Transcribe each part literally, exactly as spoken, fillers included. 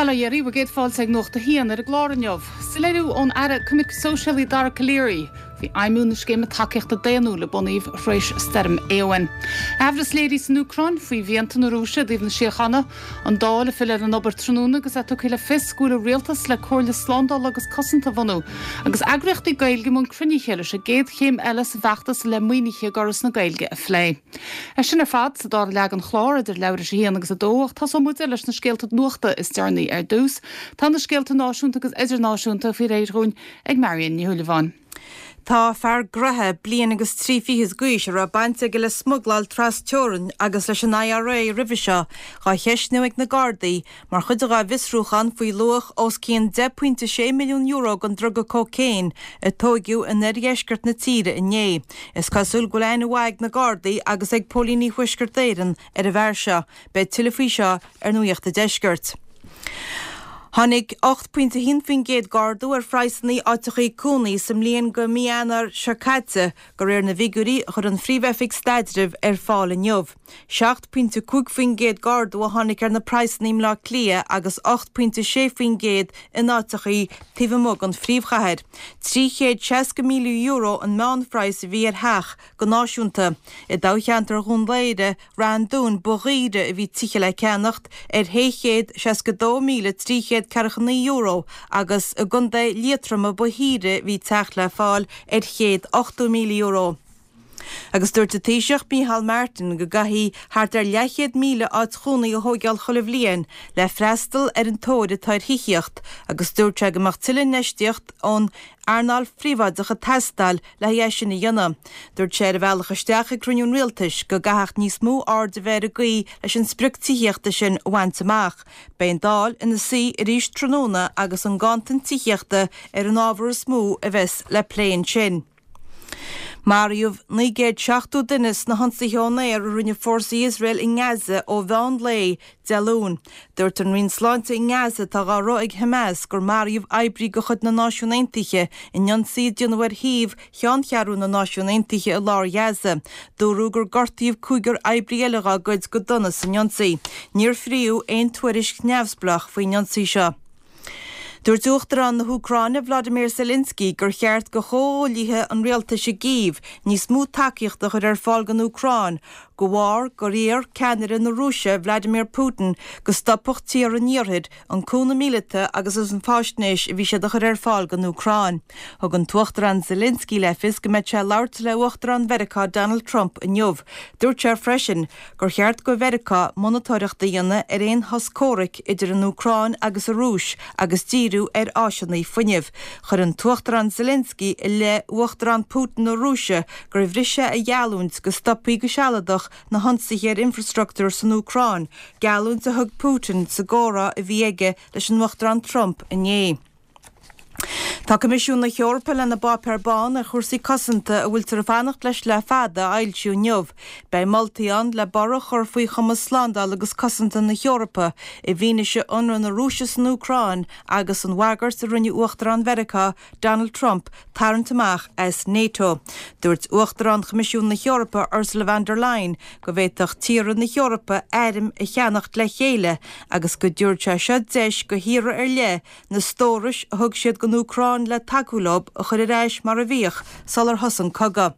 Bail ó Dhia oraibh, bhur gcéad fáilte ag Nuacht a hAon ar an gclár inniu. Soiléiriú ón Aire Coimirce Sóisialaí Dara Calleary faoi fheidhmiú na scéime tacaíochta daonnúil a bunaíodh tar éis Stoirm Éowyn. Aimhleas léirithe san Úcráin faoi mhianta na Rúise i dtaobh na síochána, an Dáil ag filleadh ar an obair tráthnóna agus é tugtha le fios go bhfuil an rialtas le Comhairle Slándála agus Cosanta a bhunú, agus eagraíochtaí Gaeilge i mbun cruinnithe leis an gcéad chéim eile sa bhfeachtas le maoinithe d'Fhoras na Gaeilge a phlé. É sin ar fad sa dara leath den chlár idir leathuair tar éis a haon agus a dó ach tosóidh muid leis na scéalta nuachta is deireanaí ar dtús. Tá na scéalta náisiúnta agus idirnáisiúnta faoi réir dúinn ag Marion Ní Shúilleabháin. Tá fear graithe bliain agus trí fichid d'aois a raibh baint aige le smugláil trasteorann agus leis an IRA roimhe seo dhá cheistniú ag na Gardaí mar chuid dá bhfiosrúchán faoi luach os cionn deich pointe sé milliún euro den druga cócaon a tóigeadh in oirdheisceart na tíre inné. Is cosúil go bhfuil aithne mhaith ag na Gardaí agus ag Póilíní Thuaisceart Éireann ar an bhfear seo, beidh tuilleadh faoi seo ar Nuacht an Deiscirt. Tháinig ocht pointe a haon faoin gcéad d'ardú ar phraghsanna áiteachaí cónaí sa mbliain go mí Eanáir seo caite, de réir na bhfigiúirí a chuir an Phríomh-Oifig Staidrimh ar fáil inniu. Seacht pointe cúig faoin gcéad d'ardú a tháinig ar na praghsanna i mBleá Cliath agus ocht pointe sé faoin gcéad in áiteachaí taobh amuigh den phríomhchathair. Trí chéad seasca míle euro an meánphraghas a bhí ar theach go náisiúnta. I dtoghcheantar Dhún Laoghaire, Rath an Dúin ba dhaoire a bhí tithe le ceannacht ar shé chéad seasca dó míle trí chéad ceathracha naoi euro agus i gContae Liatroma ba shaoire a bhí teach le fáil ar chéad ochtó míle euro. Agus dúirt an Taoiseach Micheál Martin go gcaithfidh thart ar leathchéad míle áit chónaí a thógáil chuile bhliain le freastal ar an tóir atá ar thithíocht agus dúirt sé go mbeadh tuilleadh infheistíocht ón earnáil phríobháideach ag teastáil le haghaidh é sin a dhéanamh. Dúirt sé ar a bhealach isteach ag cruinniú an rialtais go gcaithfeadh níos mó aird a bheith ar an gcaoi leis an sprioc tithíochta sin a bhaint amach. Beidh an Dáil ina suí arís tráthnóna agus an ganntan tithíochta ar an ábhar is mó a bheas le plé ansin. Maraíodh naoi gcéad seachtó duine sna hionsaithe ón aer a rinne fórsaí Iosrael i nGaza ó mheán lae Dé Luain. Dúirt an Roinn Sláinte i nGaza atá á rith ag Hamas gur maraíodh oibrí de chuid na Náisiún Aontaithe in ionsaí a déanadh ar shuíomh cheanncheathrú na Náisiún Aontaithe i lár Ghaza. Dúradh gur gortaíodh cúigear oibrí eile dá gcuid go dona san ionsaí. Níor fríodh aon tuairisc neamhspleách faoin ionsaí seo. Dúirt Uachtarán na hÚcráine Vladimir Zelensky gur cheart do chomhghuaillithe an rialtais i gCív níos mó tacaíochta a chur ar fáil don Úcráin, de bharr gur iarr ceannaire na Rúise Vladimir Putin go stopfadh tíortha an iarthair an cúnamh míleata agus an fhaisnéis a bhí siad a chur ar fáil don Úcráin. Thug an tUachtarán Zelensky le fios go mbeidh sé ag labhairt le Uachtarán Mheiriceá Donald Trump inniu. Dúirt sé freisin gur cheart do Mheiriceá monatóireacht a dhéanamh ar aon shos comhraic idir an Úcráin agus an Rúis agus díriú ar áiseanna fuinnimh. Chuir an tUachtarán Zelensky i leith Uachtarán Putin na Rúise gur bhris sé a gheallúint go stopfaí go sealadach na hionsaithe ar infrastruchtúr san Úcráin, geallúint a thug Putin sa gcomhrá a bhí aige leis an Uachtarán Trump inné. Tá Coimisiún na hEorpa lena bpáipéar bán ar chúrsaí cosanta a bhfuiltear ag fanacht leis le fada a fhoilsiú inniu. Beidh moltaí ann le borradh a chur faoi chumas slándála agus cosanta na hEorpa i bhfianaise ionradh na Rúise san Úcráin agus an bhagairt a rinne Uachtarán Mheiriceá Donald Trump tarraingt amach as NATO. Dúirt Uachtarán Choimisiún na hEorpa Ursula von der Leyen go bhféadfadh tíortha na hEorpa airm a cheannacht le chéile agus go dtabharfadh sé seo deis do thíortha ar leith na stórais a thug siad don Úcráin le tacú leo a chur ar ais mar a bhíodh sular thosaigh an cogadh.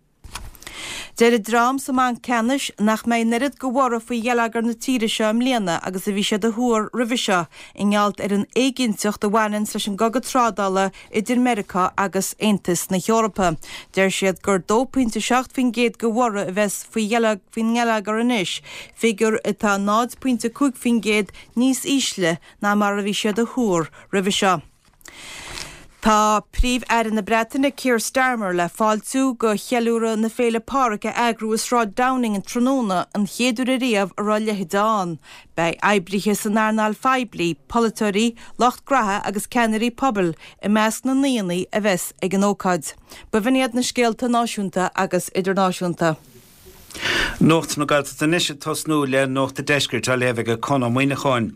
Deir an dream sa mBanc Ceannais nach mbeidh an oiread de bhorradh faoi gheilleagar na tíre seo i mbliana agus a bhí siad a thuar roimhe seo i ngeall ar an éiginnteacht a bhaineann leis an gcogadh trádála idir Meiriceá agus Aontas na hEorpa. Deir siad gur dó pointe seacht faoin gcéad de bhorradh a bheas faoi faoin ngeilleagar anois, figiúr atá náid pointe cúig faoin gcéad níos ísle ná mar a bhí siad a thuar roimhe seo. Tá Príomh-Aire na Breataine Keir Starmer le fáiltiú go cheiliúradh na Féile Pádraig a eagrú i Sráid Downing an tráthnóna an chéad uair ariamh a raibh a leithéid ann. Beidh oibrithe san earnáil phoiblí, polaiteoirí, lucht graithe agus ceannairí pobail i measc na ndaoine a bheas ag an ócáid. B'in iad na scéalta náisiúnta agus idirnáisiúnta. Nuacht na Gaeltachta anois ag tosnú le Nuacht an Deiscirt á léamh ag Conán Muineacháin.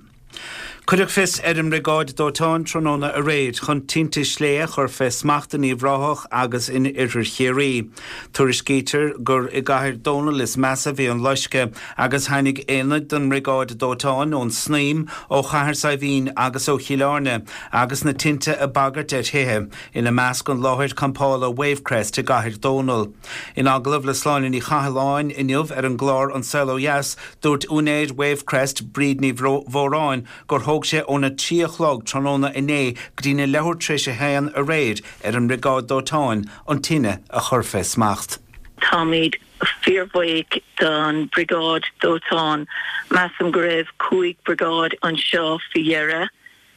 Cuireadh fios ar an mBriogáid Dóiteáin tráthnóna aréir chun tinte sléibhe a chur fé smacht in Uíbh Ráthach agus in Oirthear Chiarraí. Tuairiscítear gur i gCathair Dónall is measa a bhí an loisceadh agus tháinig aonaid den mBriogáid Dóiteáin ón Snaidhm, ó Chathair Saidhbhín agus ó Chill Airne agus na tinte ag bagairt ar thithe, ina measc an láthair campála Wavecrest i gCathair Dónall. In agallamh le Sláine Ní Chathalláin inniu ar an gclár An Saol Ó Dheas, dúirt úinéir Wavecrest, Bríd Ní Mhóráin, gur thóg sé óna trí a chlog tráthnóna inné go dtí na leathuair tar éis a haon aréir ar an mBriogáid Dóiteáin an tine a chur fé smacht. Táimid fíorbhuíoch don Briogáid Dóiteáin. Measaim go raibh cúig briogáid anseo faoi dheireadh.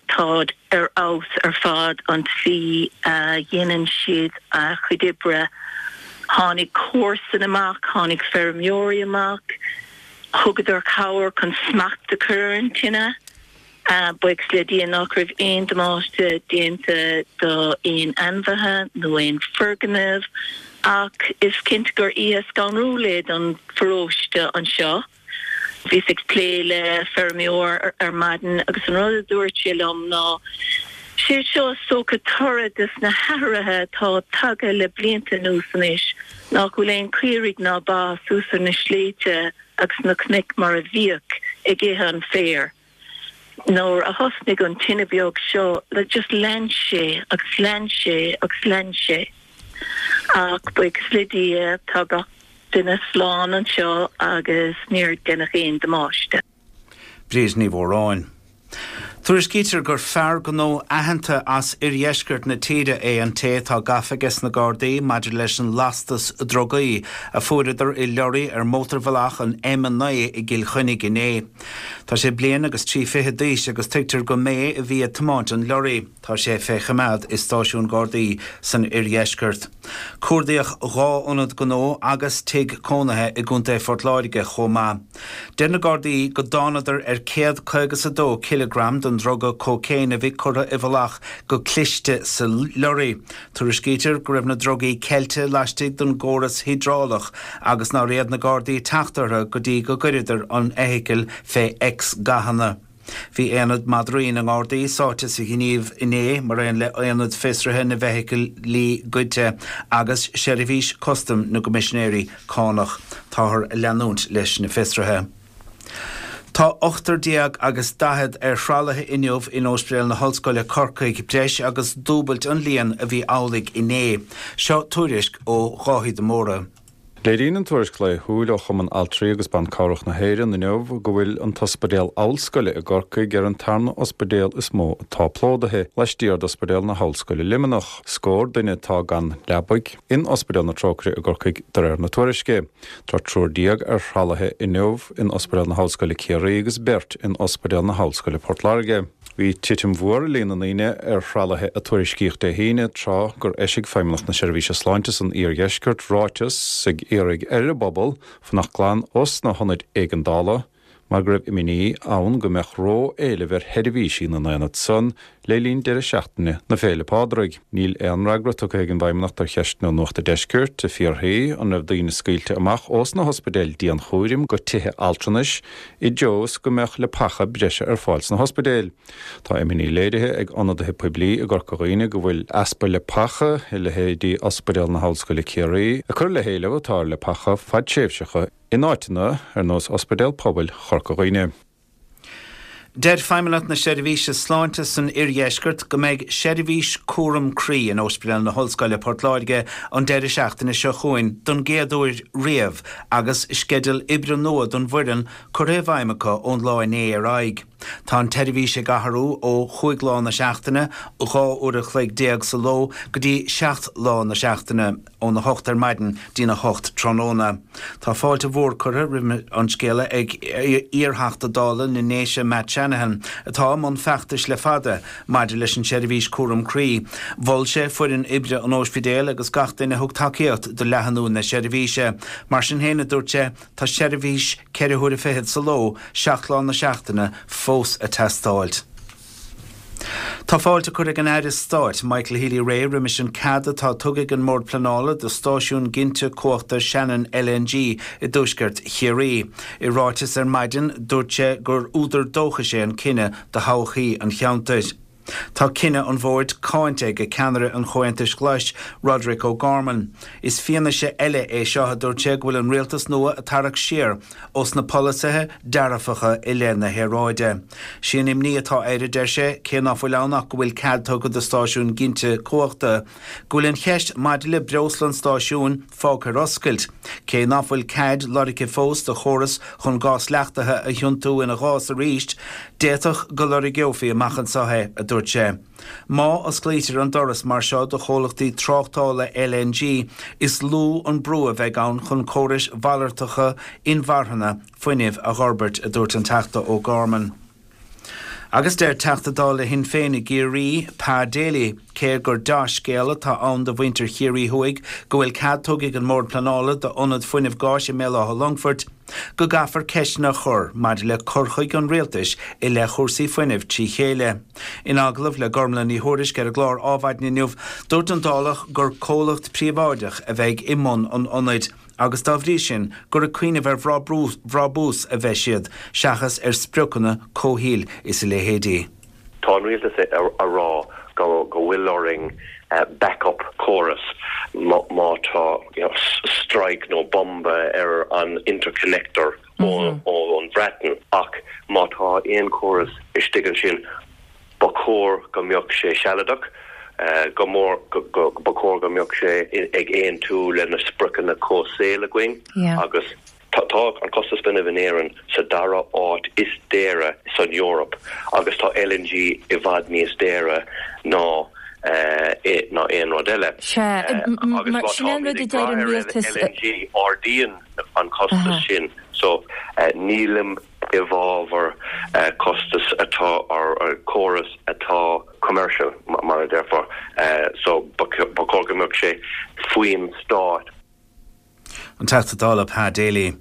Táid ar fheabhas ar fad an tslí a dhéanann siad a chuid oibre. Tháinig comharsan amach, tháinig feirmeoirí amach, thugadar cabhair chun smacht a chur ar an tine. Buíochas le Dia nach raibh aon damáiste déanta do aon ainmhithe nó aon foirgneamh ach is cinnte gur oíche scanrúil é don pharóiste anseo. Bhíos ag plé le feirmeoir ar maidin agus an rud a dúirt sé liom ná sé seo is dócha toradh des na hathruithe atá tagtha le blianta anuas anois nach bhfuil aon caoirigh ná ba suas ar na sléibhte agus na cnoic mar a bhíodh ag ithe an féir. Nuair a thosnaigh an tine beag seo like just lean sé agus lean sé agus lean sé. Ach buíochas le Dia tá gach duine slán anseo agus níor deineadh aon damáiste. Bríd Ní Mhóráin. Tuairiscítear gur fear gnó aitheanta as oirdheisceart na tíre é an té atá gafa ages na Gardaí maidir leis an lastas drugaí a fuaireadar i leoraí ar mhótarbhealach an M a naoi i gCill Chainnigh inné. Tá sé bliain agus trí fichid d'aois agus tuigtear go mb'é a bhí ag tiomáint an leoraí. Tá sé fé choimeád i stáisiún Gardaí san oirdheisceart. Cuardaíodh dhá ionad gnó agus tigh cónaithe i gContae Phort Láirge chomh maith. Deir na Gardaí go dtánadar ar céad caoga is a dó cileagram den druga cócaon a bhí curtha i bhfolach go cliste sa leoraí. Tuairiscítear go raibh na drugaí ceilte laistigh den gcóras hiodrálach agus nár fhéad na Gardaí teacht orthu go dtí go gcuireadar an fheithicil fé X-ghathanna. Bhí aonad madraí na nGardaí sáite sa ghníomh inné mar aon le aonad fiosraithe na bhfeithicilí goidte agus seirbhís custaim na gCoimisinéirí Cánach. Táthar ag leanúint leis na fiosruithe. Tá ochtar déag agus daichead ar thralaithe inniu in Ospidéal na hOllscoile Corcaigh, breis agus dúbailt an líon a bhí amhlaidh inné. Seo tuairisc ó Dháithí de Mórdha. Léiríonn an tuairisc laethúil ó Chumann Altraí agus Ban Cabhrach na hÉireann inniu go bhfuil an tOspidéal Ollscoile i gCorcaigh ar an tarna ospidéal is mó atá plódaithe, laistiar d'Ospidéal na hOllscoile Luimneach. Scór duine atá gan leabaidh in Ospidéal na Trócaire i gCorcaigh de réir na tuairisce. Tá triúr déag ar thralaithe inniu in Ospidéal na hOllscoile Ciarraí agus beirt in Ospidéal na hOllscoile Port Láirge. Bhí titim mhór i líon na ndaoine ar thralaithe a tuairiscíodh Dé hAoine, tráth gur eisigh Feidhmeannacht na Seirbhíse Sláinte san Iardheisceart ráiteas ag iarraidh ar an bpobal fanacht glan os na hionaid éigeandála mar go raibh imní ann go mbeadh ró-éileamh ar sheirbhísí na n-aonad san le linn deireadh seachtaine na Féile Pádraig. Níl aon fhreagra tugtha ag an bhFeidhmeannacht ar cheisteanna Nuacht an Deiscirt ag fiafraí an raibh daoine scaoilte amach ós na hospidéil dianchúraim go tithe altranais i dtreo is go mbeadh leapacha breise ar fáil sna hospidéil. Tá imní léirithe ag ionadaithe poiblí i gCorca Dhuibhne go bhfuil easpa leapacha i leithéidí Ospidéal na hOllscoile Ciarraí ag cur le héileamh atá ar leapacha fadtréimhseacha in áiteanna ar nós Ospidéal Pobail Chorca Dhuibhne. Deir Feidhmeannacht na Seirbhíse Sláinte san Oirdheisceart go mbeidh seirbhís cúram croí in Ospidéal na hOllscoile Port Láirge an deireadh seachtaine seo chugainn don gcéad uair riamh agus sceideal oibre nua don bhfoireann curtha i bhfeidhm acu ón lá inné ar aghaidh. Tá an tseirbhís ag athrú ó chúig lá na seachtaine, dhá uair a chloig déag sa ló, go dtí seacht lá na seachtaine, óna hocht ar maidin dtína hocht tráthnóna. Tá fáilte mhór curtha roimh an scéala ag iarTheachta Dála na nDéise Matt Shanahan, atá i mbun feachtais le fada maidir leis an tseirbhís cúram croí. Mhol sé foireann oibre an ospidéil agus gach duine a thug tacaíocht do leathanú na seirbhíse. Mar sin féin, a dúirt sé, tá seirbhís ceithre huaire fichead sa ló, seacht lá na seachtaine, fós ag teastáilt. Tá fáilte curtha ag an Aire Stáit Michael Healy-Rae roimis an cead atá tugtha ag an mBord Pleanála do stáisiún ginte cumhachta Shannon L N G i dtuaisceart Chiarraí. I ráiteas ar maidin, dúirt sé gur údar dóchais é an cinneadh do thodhchaí an cheantair. Tá cinneadh an bhoird cáinte ag ceannaire an Chomhaontais Ghlais, Roderic O'Gorman. Is fianaise eile é seo, a dúirt sé, go bhfuil an rialtas nua ag tarrac siar ós na polasaithe dearfacha i leith na haeráide. Sí an imní atá air, a deir sé, cé ná fuil ann ach go bhfuil cead tugtha do stáisiún ginte cumhachta, go bhfuil an cheist maidir le breosla an stáisiúin fágtha ar oscailt. Cé ná fuil cead lorgtha fós do chóras chun gás leachtaithe a thiontú ina ghás arís, d'fhéadfadh go lorgófaí amach anseo é, a dúirt sé. Má osclaítear an doras mar seo do chomhlachtaí tráchtála L N G, is lú an brú a bheidh ann chun córais mhalartacha inmharthana fuinnimh a fhorbairt, a dúirt an Teachta O'Gorman. Agus deir Teachta Dála Shinn Féin i gCiarraí, Pa Daly, cé gur dea-scéal atá ann do mhuintir Chiarraí Thuaidh go bhfuil cead tugtha ag an mBord Pleanála d'ionad fuinnimh gáis i mBéal Átha Longfoirt, go gcaithfear ceisteanna a chur maidir le cur chuige an rialtais i leith chúrsaí fuinnimh trí chéile. In agallamh le Gormlaith Ní Thuairisg ar an gclár Adhmhaidin inniu, dúirt an Dálach gur comhlacht príobháideach a bheidh i mbun an ionaid, agus dá bhrí sin gur ag cuimhneamh ar bhrabús a bheidh siad seachas ar spriocanna comhshaoil is a leithéidí. Tá an rialtas a rá go go bhfuil orainn backup córas má tá strike nó bomba ar an interconnector ón Bhreatain, ach má tá aon chóras istigh ansin, ba chóir go mbeadh sé sealadach, go mór ba chóir go mbeadh sé ag aontú le na spriocanna comhshaoil againn, agus tá an costas fuinnimh in Éirinn sa dara háit is daoire san Eoraip, agus tá L N G i bhfad níos daoire ná ná aon rud eile. L N G ardaíonn an costas sin, so nílim i bhfabhar costas atá ar córas atá commercial, mar a déarfá, so ba chóir go mbeadh sé faoin stát. An Teachta Dála Pa Daly.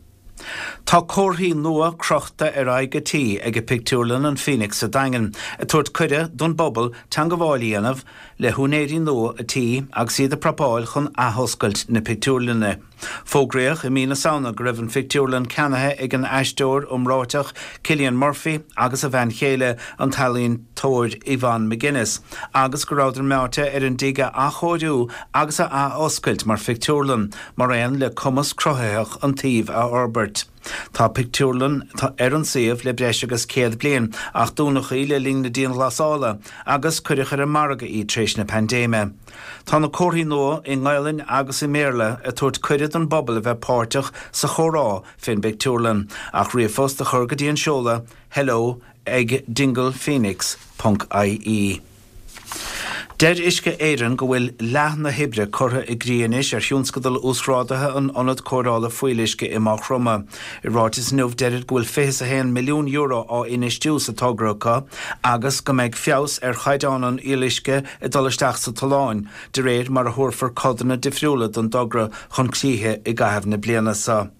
Tá comharthaí nua crochta ar aghaidh an tí ag an bpictiúrlann an Phoenix sa Daingean, ag tabhairt cuireadh don bpobal teagmháil a dhéanamh le húinéirí nua an tí agus iad ag prapáil chun athoscailt na pictiúrlainne. Fógraíodh i mí na Samhna go raibh an phictiúrlann ceannaithe ag an aisteoir iomráiteach Cillian Murphy agus a bhean chéile, an t-ealaíontóir Yvonne McGuinness, agus go rabhadar meáite ar an dtigh a athchóiriú agus a athoscailt mar phictiúrlann, mar aon le cumas cruthaitheach an tsuímh a fhorbairt. Tá pictiúrlann ar an suíomh le breis agus céad bliain, ach dúnadh í le linn na dianghlasála agus cuireadh ar an margadh í tar éis na paindéime. Tá na comharthaí nua i nGaelainn agus i mBéarla ag tabhairt cuireadh don bpobal a bheith páirteach sa chomhrá fén bpictiúrlann ach ríomhphost a chur go dtí an seoladh hello ag dinglephoenix ponc I E. Deir Uisce Éireann go bhfuil leath na hoibre curtha i gcrích anois ar thionscadal uasghrádaithe an ionad cóireála fuíolluisce i Maigh Chromtha. I ráiteas inniu, deirid go bhfuil fiche a haon milliún euro á infheistiú sa togra acu agus go mbeidh feabhas ar chaighdeán an fhuíolluisce ag dul isteach sa tollán de réir mar a thabharfar codanna difriúla den dtogra chun críche i gcaitheamh na bliana seo.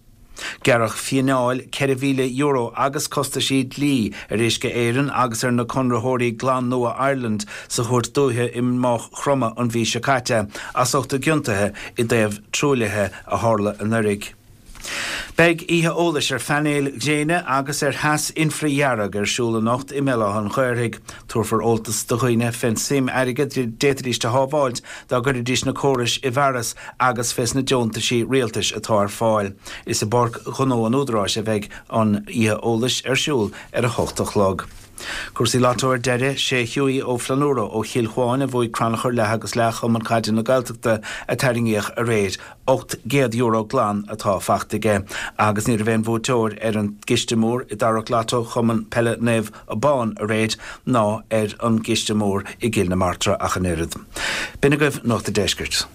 Gearradh fíneáil ceithre mhíle euro agus costaisí dlí ar Uisce Éireann agus ar na conraitheoirí Glan Nua Ireland sa chúirt dúiche i Maigh Chromtha an mhí seo caite as ucht a gciontuithe i dtaobh truaillithe a tharla anuraidh. Beidh oíche eolais ar phainéil ghréine agus ar theas infridhearg ar siúl anocht i mBéal Átha an Ghaorthaidh. Tabharfar eolas do dhaoine fén suim airgid a d'fhéadfaidís a shábháilt dá gcuirfidís na córais i bhfearas agus fés na deontaisí rialtais atá ar fáil. Is i bPáirc Ghnó an Údaráis a bheidh an oíche eolais ar siúl ar a hocht a chlog. Cúrsaí Lotto ar deireadh. Sé Hughie Ó Flannúra ó Chill Chuáin a bhuaigh crannchur leath agus leath Chumann Caide na Gaeltachta a tarraingíodh aréir. Ocht gcéad euro glan atá faighte aige, agus ní raibh aon bhuaiteoir ar an gciste mór i dtarrac Lotto Chumann Peile Naomh Abán aréir ná ar an gciste mór i gCill na Martra ach an oiread. B'in agaibh Nuacht an Deiscirt.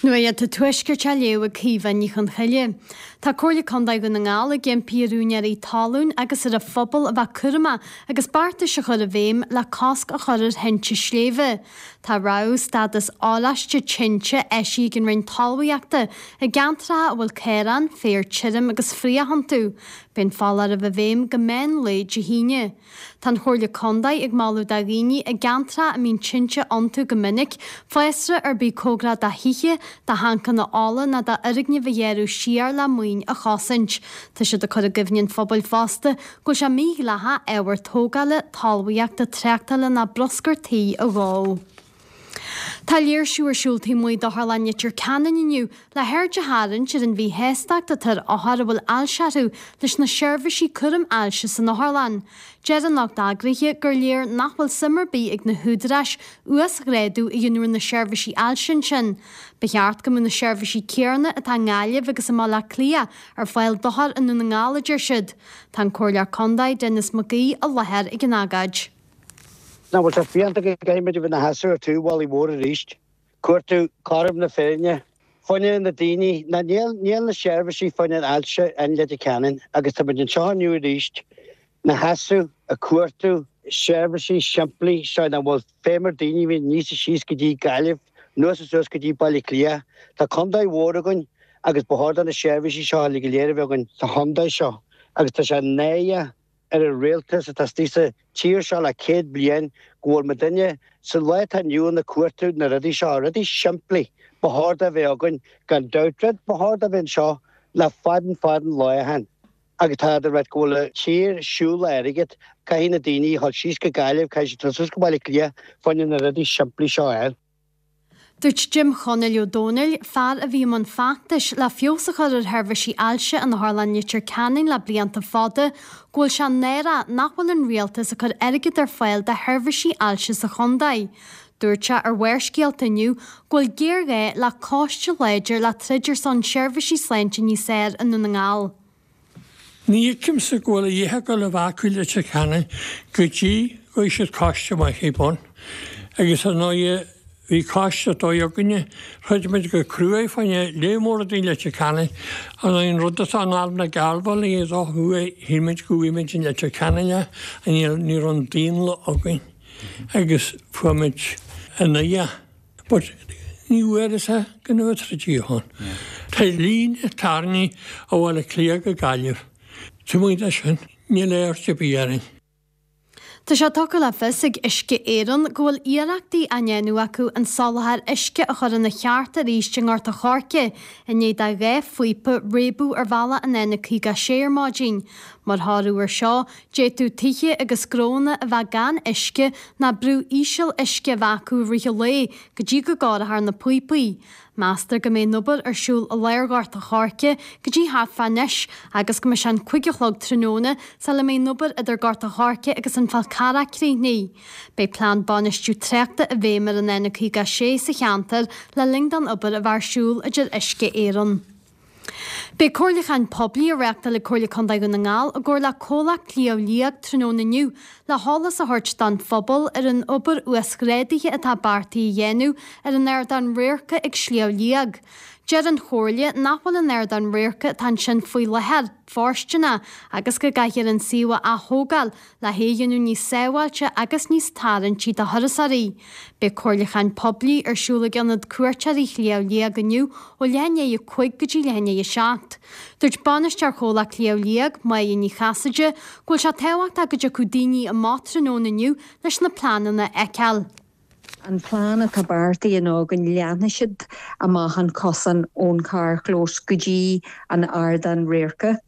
Nuacht an Tuaiscirt á léamh ag Caoimhe Ní Chonchoille. Tá Comhairle Contae Dhún na nGall ag impí ar úinéirí talún agus ar an phobal a bheith cúramach agus beartais a chur i bhfeidhm le cosc a chur ar thinte sléibhe. Tá rabhadh stádas oráiste tinte eisithe ag an Roinn Talmhaíochta i gceantracha a bhfuil caoráin, féar tirim agus fraoch iontu. Beidh an foláireamh i bhfeidhm go meán lae Dé hAoine. Tá an Chomhairle Contae ag moladh do dhaoine i gceantracha a mbíonn tinte iontu go minic, fásra ar bith cóngarach do thithe, do thancanna ola ná d'fhoirgnimh a ghearradh siar le maoin a chosaint. Tá siad ag cur i gcuimhne an phobail fosta go bhfuil sé mídhleathach ábhar tógála, talmhaíochta, tráchtála ná bruscar tí a dhó. Tá léirsiú ar siúl taobh amuigh d'Otharlann Leitir Ceanainn inniu le haird a tharraingt ar an mhíshástacht atá ar othair a bhfuil ailse orthu leis na seirbhísí cúraim ailse san otharlann. Deir an lucht eagraithe gur léir nach bhfuil suim ar bith ag na húdaráis uasghrádú a dhéanamh ar na seirbhísí ailse ansin. Ba cheart go mbeadh na seirbhísí céanna atá i nGaillimh agus i mBaile Átha Cliath ar fáil d'othair i nDún na nGall, a deir siad. Tá an Comhairleoir Contae Denis McGee i láthair ag an agóid. Nach bhfuil sé fiánta go gcaithfidh muid a bheith ina sheasamh ar taobh bhallaí mhór arís. Cuartú cothrom na féinne. Fá choinne na daoine. Ná níl níl na seirbhísí fá choinne ailse in Leitir Ceanainn agus tá muid anseo inniu arís ina sheasamh ag cuartú seirbhísí simplí seo nach bhfuil feidhm ar daoine a bhíonn aníos is síos go dtí Gaillimh, anuas is suas go dtí Baile Átha Cliath. Tá contae mhór againn agus ba chóir do na seirbhísí seo uilig go léir a bheith againn sa chontae seo agus tá sé náireach ar an rialtas atá istigh sa tír seo le céad bliain go bhfuil muidinne sa lá atá inniu ann ag cuartú na rudaí seo, rudaí simplí ba chóir do bheith againn gan dabht, rud ba chóir do bheith anseo le fad an fad an lá ó shin. Agus tá de rud go bhfuil an tír ag siúl le airgead, caithfidh na daoine a dhul síos go Gaillimh, caithfidh siad dul suas go Baile Átha Cliath fá choinne na rudaí simplí seo a fháil. Dúirt Jim Chonaill Ó Dónaill, fear a bhí i mbun feachtais le feabhas a chur ar sheirbhísí ailse in Otharlann Leitir Ceanainn le blianta fada, go bhfuil sé náireach nach bhfuil an rialtas ag cur airgead ar fáil do sheirbhísí ailse sa chontae. Dúirt sé ar Bharrscéalta inniu go bhfuil géarghá le coiste láidir le troid ar son seirbhísí sláinte níos fearr i nDún na nGall. Ní fheicimse go bhfuil a dhath ag dul a bheith acu i Leitir Ceanainn go dtí go bhfaighidh siad coiste maith ar bun. Agus ar ndóighe bhí coiste dóigh againne, throid muid go cruaidh fá choinne lear mór rudaí i Leitir Ceanainn. Ar ndóighe an rud atá in Arm na Garbhailí a dó thuaidh, shíl muid go bhfaighidh muid in Leitir Ceanainn é, ach ní raibh an daonlath againn agus fuair muid an oidhe. But ní bhfuaireas é gan a bheith troidte ann. Tá líne tarraingthe ó Bhaile Átha Cliath go Gaillimh. Taobh amuigh de sin, níl aird ar bith orainn. Tá sé tugtha le fios ag Uisce Éireann go bhfuil iarrachtaí á ndéanamh acu an soláthar uisce a chur ina cheart arís i nGort a' Choirce i ndiaidh do dhá phíopa réabadh ar bhealach an N caoga a sé ar maidin. Mar thoradh air seo, d'fhéadfadh tithe agus gnónna a bheith gan uisce ná brú íseal uisce a bheith acu i rith an lae go dtí go gcóireofar na píopaí. Meastar go mbeidh an obair ar siúl i lár Ghort a' Choirce go dtí thart fá anois agus go mbeidh sé an cúig a chlog tráthnóna sula mbeidh an obair idir Gort a' Choirce agus an Fál Carrach críochnaithe. Beidh plean bainistiú tráchta i bhfeidhm ar an N caoga a sé sa cheantar le linn don obair a bheith ar siúl, a deir Uisce Éireann. Beidh comhairliúchán poiblí á reáchtáil ag Comhairle Contae Dhún na nGall i gcomhar le Comhlacht Shliabh Liag tráthnóna inniu le heolas a thabhairt don phobal ar an obair uasghrádaithe atá beartaithe a dhéanamh ar an ardán radhairce ag Sliabh Liag. Deir an Chomhairle nach bhfuil an ardán radhairce atá ansin faoi láthair fóirsteanach agus go gcaithfear an suíomh a ath-thógáil le hé a dhéanamh níos sábháilte agus níos tarraingtí do thurasóirí. Beidh comhairliúchán poiblí ar siúl ag Ionad Cuairteoirí Shliabh Liag inniu ó leath i ndiaidh a cúig go dtí leath i ndiaidh a seacht. Dúirt Bainisteoir Chomhlacht Shliabh Liag, Máire Ní Chasaide, go bhfuil sé tábhachtach go dtiocfadh daoine amach tráthnóna inniu leis na pleananna a fheiceáil. An plean atá beartaithe ná go leathnóidh siad amach an cosán ón carrchlós go dtí an ardán radhairce.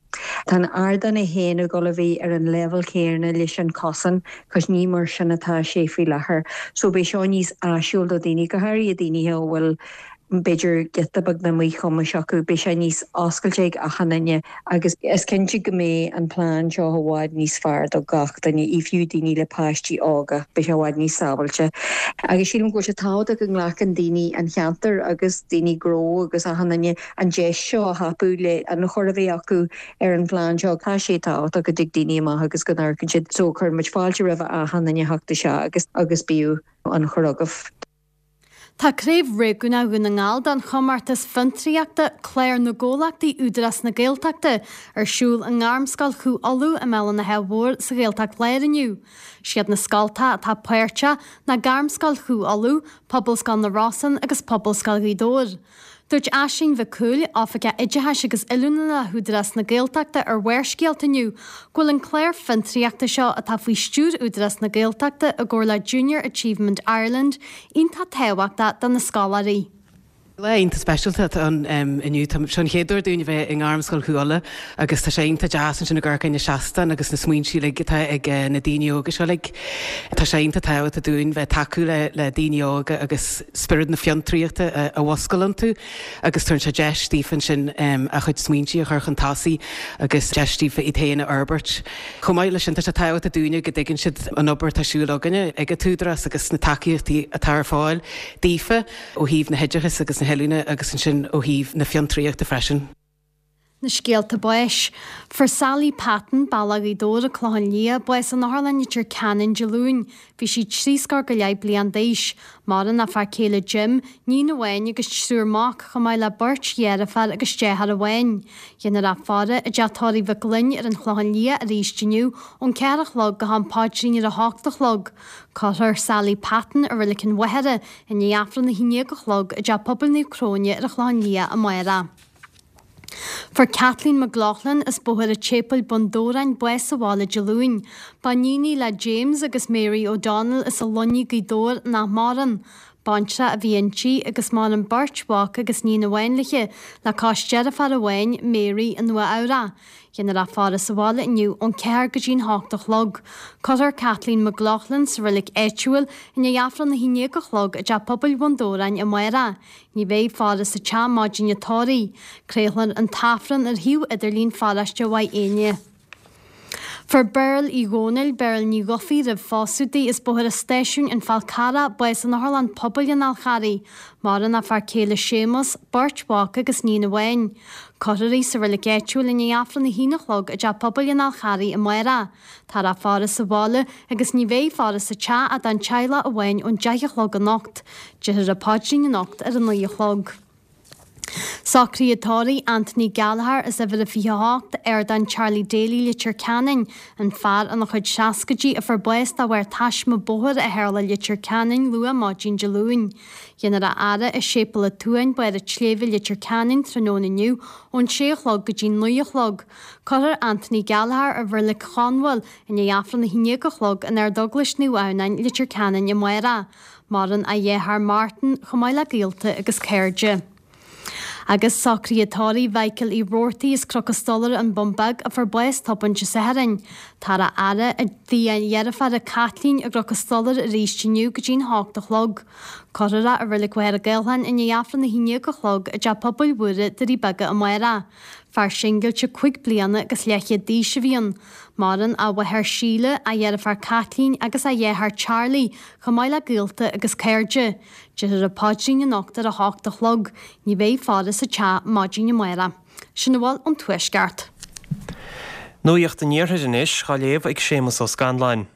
Tá an ardán é féin ag dul a bheith ar an leibhéal céanna leis an cosán, cos ní mar sin atá sé faoi láthair. So beidh seo níos áisiúil do daoine, go háirithe daoine a bhfuil b'fhéidir giota beag de mhíchumais acu, beidh sé níos oscailte ag achan duine agus is cinnte go mbeidh an plean seo i bhfad níos fearr do gach duine, i fiú daoine le páistí óga, beidh sé i bhfad níos sábháilte. Agus sílim go bhfuil sé tábhachtach go nglacann daoine an cheantair agus daoine gnó agus achan duine an deis seo a thapú le ionchur a bheith acu ar an phlean seo. Tá sé tábhachtach go dtig daoine amach agus go n-amharcann siad so cuireann muid fáilte roimh achan duine a theacht isteach agus agus bíodh ionchur agaibh. Tá Craobh Réigiúnach Dhún na nGall den chomórtas fiontraíochta Clár na gComhlachtaí Údarás na Gaeltachta ar siúl i nGairmscoil Chú Uladh i mBéal an Átha Mhóir sa Ghaeltacht Láir inniu. Siad na scoltacha atá páirteach ná Gairmscoil Chú Uladh, Pobalscoil na Rosann agus Pobalscoil Ghaoth Dobhair. Dúirt Aisling Mhic Cumhaill, Oifigeach Oideachais agus Oiliúna le hÚdarás na Gaeltachta ar Bharrscéalta inniu go bhfuil an clár fiontraíochta seo atá faoi stiúir Údarás na Gaeltachta i gcomhar le Junior Achievement Ireland iontach tábhachtach do na scoláirí. Lá iontach speisialta atá ann inniu. Tá seo an chéad uair dúinn a bheith i nGairmscoil Chú Uladh agus tá sé iontach deas ansin ag amharc ar na seastáin agus na smaointe uilig atá ag na daoine óga seo uilig. Tá sé iontach tábhachtach dúinn bheith tacú le le daoine óga agus spiorad na fiontraíochta a mhúscailt iontu agus tugann sé deis daofa ansin a chuid smaointe a chur chun tosaigh agus deis daofa iad féin a fhorbairt. Chomh maith leis sin tá sé tábhachtach dúinne go dtuigeann siad an obair atá ar siúl againne ag an tÚdarás agus na tacaíochtaí atá ar fáil daofa ó thaobh na hoideachais agus na hoiliúna agus ansin ó thaobh na fiontraíochta freisin. Na scéalta báis. Fuair Sally Patton, Bealach Ghaoth Dobhair, An Clochán Liath, bás in Otharlann Leitir Ceanainn Dé Luain. Bhí sí trí scór go leith bliain d'aois. Maireann a fear céile Jim, níon amháin agus triúr mac, chomh maith le beirt dheirféar agus deartháir amháin. Déanfar í a fhaire i dteach tórraimh Mhic Gloinn ar an Chlochán Liath arís inniu ón ceathair a chlog go ham paidrín ar a hocht a chlog. Cuirfear Sally Patton i Reilig an Mhachaire i ndiaidh Aifreann a haon déag a chlog i dTeach Pobail Naomh Cróine ar an Chlochán Liath amárach. Fuair Kathleen McLaughlin as Bóthar an tSéipéil, Bun Dobhráin, bás sa bhaile Dé Luain. Ba iníon í le James agus Mary O'Donnell as an Luinnigh, Gaoth Dobhair, nach maireann. Baintreach a bhí inti agus maireann beirt mhac agus níon amháin léi, le cois deirféar amháin, Mary, i Nua Eabhrac. Déanfar í a fhaire sa bhaile inniu ón ceathair go dtí'n hocht a chlog. Cuirfear Kathleen McLaughlin sa reilig áitiúil i ndiaidh Aifreann a haon déag a chlog i dTeach Pobail Bhun Dobhráin amárach. Ní bheidh faire sa teach maidin an tórraimh. Craolfar an tAifreann ar shuíomh idirlín pharóiste Mhaigh Éinne. Fuair Beryl Uí Dhónaill, Beryl Ní Dhufaigh roimh phósadh di, as Bóthar an Stáisiúin, An Fál Carrach, bás in Otharlann Pobail an Fháil Charraigh. Maireann a fear céile Séamus, beirt mhac agus níon amháin. Cuirfear í sa reilig áitiúil i ndiaidh Aifreann a haon a chlog i dTeach Pobail an Fháil Charraigh amárach. Táthar á faire sa bhaile agus ní bheidh faire sa teach ach don teaghlach amháin ón deich a chlog anocht. Déarfar an paidrín anocht ar a naoi a chlog. Socruithe tórraimh Anthony Gallagher as uimhir a fiche a hocht, Ardán Charlie Daly, Leitir Ceanainn, an fear ina chuid seascaidí a fuair bás de bharr taisme bóthair a tharla i Leitir Ceanainn luath maidin Dé Luain. Déanfar a fhaire i Séipéal an tSuain, Barr an tSléibhe, Leitir Ceanainn tráthnóna inniu ón sé a chlog go dtí naoi a chlog. Cuirfear Anthony Gallagher i Reilig Chonbhail i ndiaidh Aifreann a haon déag a chlog in Ardeaglais Naomh Adhamhnáin, Leitir Ceanainn amárach. Maireann a dheartháir Martin chomh maith le gaolta agus cairde. Agus socruithe tórraimh Mhichael Uí Robhartaigh as Cnoc an Stolaire An Bun Beag a fuair bás tobann Dé Sathairn. Táthar á fhaire i dtigh a dheirféara Caitlín i gCnoc an Stolaire arís inniu go dtí'n hocht a chlog. Cuirfear é i Reilig Mhachaire Gathlán i ndiaidh Aifreann a haon déag a chlog i dTeach Pobail Mhuire, Doirí Beaga amárach. Fear singilte cúig bliana agus leathchéad d'aois a bhí ann. Maireann a mháthair Síle, a dheirfiúr Caitlín agus a dheartháir Charlie, chomh maith le gaolta agus cairde. Déarfar an paidrín anocht ar a hocht a chlog. Ní bheidh faire sa teach maidin amárach. Sin a bhfuil ón Tuaisceart. Nuacht an Iarthair anois, á léamh ag Séamus Ó Scanláin.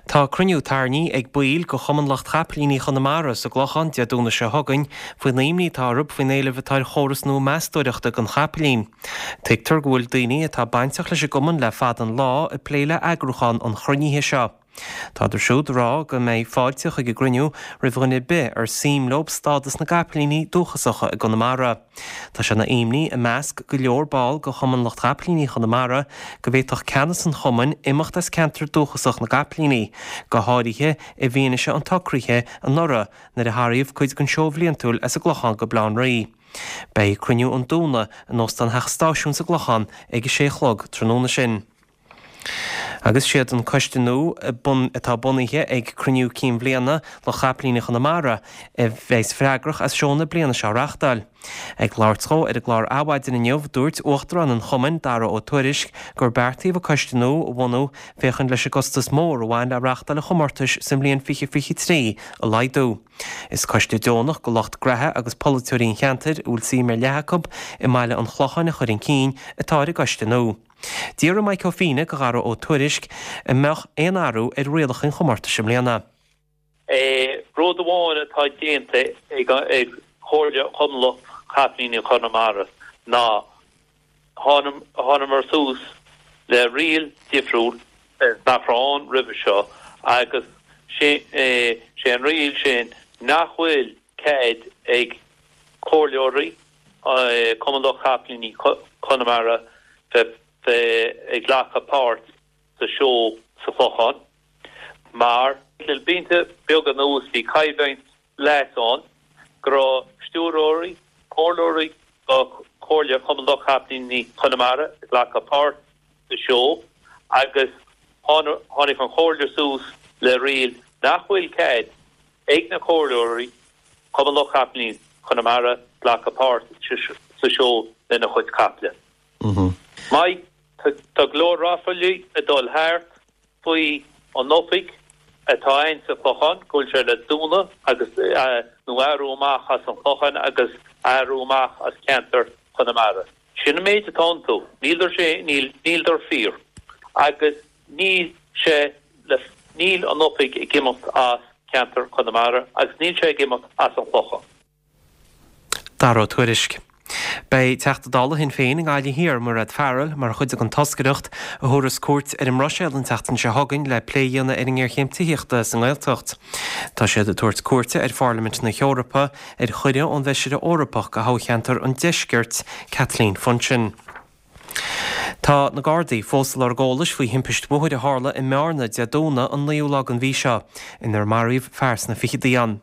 Tá cruinniú tairní ag baill de Chumann Lucht Chapaillíní Chonamara sa gClochán Dé Domhnaigh seo chugainn faoin imní atá orthu faoin éileamh atá ar chóras nua meastóireachta don chapaillín. Tuigtear go bhfuil daoine atá bainteach leis an gcumann le fada an lá ag plé le eagrúchán an chruinnithe seo. Tádar siúd ag rá go mbeidh fáilte chuig an gcruinniú roimh dhuine ar bith ar suim leo stádas na gcapaillíní dúchasacha i gConamara. Tá sé ina imní i measc go leor ball de Chumann Lucht Chapaillíní Chonamara go bhféadfadh ceannas an chumainn imeacht as ceantar dúchasach na gcapaillíní, go háirithe i bhfianaise an tsocraithe anuraidh nuair a tarraingíodh cuid den seó bhliantúil as an gClochán go Baile Átha an Rí. Beidh cruinniú an Domhnaigh in Óstán Theach an Stáisiúin sa gClochán ag a sé a chlog tráthnóna sin. Agus siad an coiste nua atá bunaithe ag cruinniú cinn bhliana Lucht Chapaillíní Chonamara a bheas freagrach as seó na bliana seo a reachtáil. Ag labhairt dhó ar an gclár Adhmhaidin inniu, dúirt Uachtarán an Chumainn, Dara Ó Tuairisg, gur beartaíodh an coiste nua a bhunú féachaint leis an gcostas mór a bhain le reachtáil an chomórtais sa mbliain fiche fiche trí a laghdú. Is coiste deonach de lucht graithe agus polaiteoirí an cheantair a bhfuil suim ar leith acu i mbaile an Chlocháin a chur chun cinn atá ar an gcoiste nua. D'fhiafraigh Mike Ó Fiaich de Dhara Ó Tuairisg an mbeadh aon athrú ar rialacha an chomórtais i mbliana. Rud amháin atá déanta ag ag Comhairle Chumann Lucht Capaillíní Chonamara ná thánamar suas le riail difriúil nach raibh ann roimhe seo agus sé sé an riail sin nach bhfuil cead ag comhairleoirí Cumann Lucht Capaillíní Chonamara bheith bheith ag glacadh páirt sa seó sa Chlochán mar le blianta beaga anuas bhí coimhlint leas ann go raibh stiúrthóirí, comhairleoirí do Chomhairle Chumann Lucht Capaillíní Chonamara ag glacadh páirt sa seó agus tháinig an Chomhairle suas le riail nach bhfuil cead ag na comhairleoirí Cumann Lucht Capaillíní Chonamara glacadh páirt sa seó lena chuid caiple. Mike, tá go leor ráflaí ag dul thart faoi an oifig atá ann sa Chlochán, go bhfuil sé le dúnadh agus nó athrú amach as an Chlochán agus athrú amach as ceantar Chonamara. Sin an méid atá iontu. Níldar sé, níl, níldar fíor. Agus níl sé le, níl an oifig ag imeacht as ceantar Chonamara agus níl sé ag imeacht as an Chlochán. Dara Ó Tuairisg. Beidh Teachta Dála Shinn Féin i nGaillimh Thiar, Mairéad Farrell, mar chuid den toscaireacht a thabharfas cuairt ar an mBruiséil an tseachtain seo chugainn le plé a dhéanamh ar an ngéarchéim tithíochta sa nGaeltacht. Tá siad ag tabhairt cuairte ar Pharlaimint na hEorpa ar chuireadh ón bhFeisire Eorpach do thoghcheantar an Deiscirt, Kathleen Funchion. Tá na Gardaí fós ag lorg eolais faoi thimpist bhóthair a tharla i mBearna Dé Domhnaigh an naoú lá den mhí seo, inar maraíodh fear sna fichidí ann.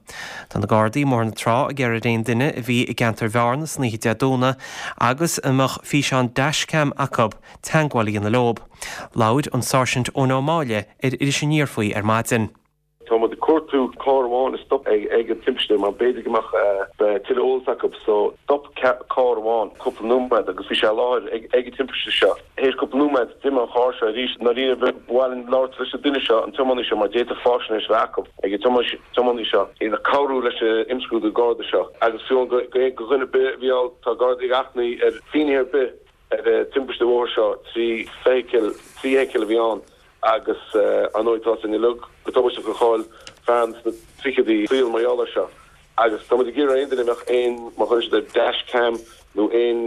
Tá na Gardaí i mBóthar na Trá ag iarraidh ar aon duine a bhí i gceantar Bhearna san oíche Dé Domhnaigh agus a mbeadh físeán dashcam acu, teagmháil a dhéanamh leo. Labhair an Sáirsint Eoin Ó Máille ar Iris Aniar faoi ar maidin. Tá muid ag cuartú carr amháin a stop ag ag an timpiste mar b'fhéidir go mbeadh tuilleadh eolas acu so stop carr amháin cúpla nóiméad agus bhí sé i láthair ag ag an timpiste seo. Théis cúpla nóiméad d'imigh an carr seo arís. Ndáiríre ba mhaith linn labhairt leis an duine seo, an tiománaí seo mar d'fhéadfadh faisnéis a bheith acu ag an tiománaí seo ina cabhrú leis an imscrúdú Garda seo agus fiú go go dhuine ar bith a bhí ann tá Gardaí ag achainí ar finné ar bith ar an timpiste bhóthair seo trí feithicil trí fheithicil a bhí ann agus ar ndóigh tá sin uilig go tubaisteach gur chaill fear sna fichidí a saol mar gheall air seo agus tá muid ag iarraidh aon duine a mbeadh aon mar chuir siad ar dash cam nó aon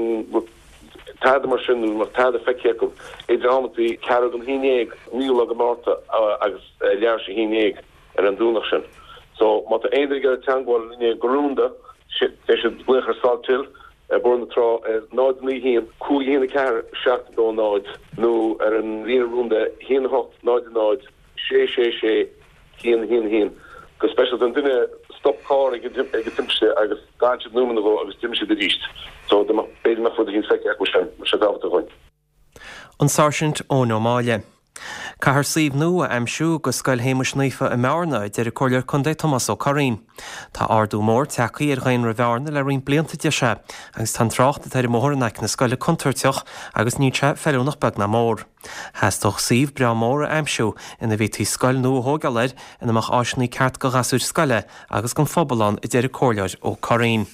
tada mar sin nó mbeadh tada feicthe acu idir amantaí ceathrú don haon déag naoú lá de Mhárta agus leathuair tar éis a haon déag ar an Domhnach sin. So má tá aon duine ag iarraidh teagmháil linne go rúnda beidh siad glaoch ar Salthill ar Bhóthar na Trá ar náid naoi haon, cúig haon a ceathair, seacht dó náid nó ar an líne rúnda haon a hocht náid náid, sé sé sé, haon haon haon. Go speisialta an duine stop carr ag an timpiste agus d'fhan siad nóiméad nó dhó agus d'imigh siad arís. So b'fhéidir go mbeadh rud eicínt feicthe acu sin, bheadh sé tábhachtach dhúinn. An Sáirsint Eoin Ó Máille. Caithfear suíomh nua a aimsiú do Scoil Shéamuis Naofa i mBearna, a deir an Comhairleoir Contae Tomás Ó Curraoin. Tá ardú mór tagtha ar dhaonra Bhearna le roinnt blianta, deir sé, agus tá an trácht atá ar an mbóthar in aice na scoile contúirteach agus níl sé feiliúnach beag ná mór. Theastódh suíomh breá mór a aimsiú ina bhféadfaí scoil nua a thógáil air ina mbeadh áiseanna ceart do ghasúir scoile agus don phobal ann, a deir an Comhairleoir Ó Curraoin.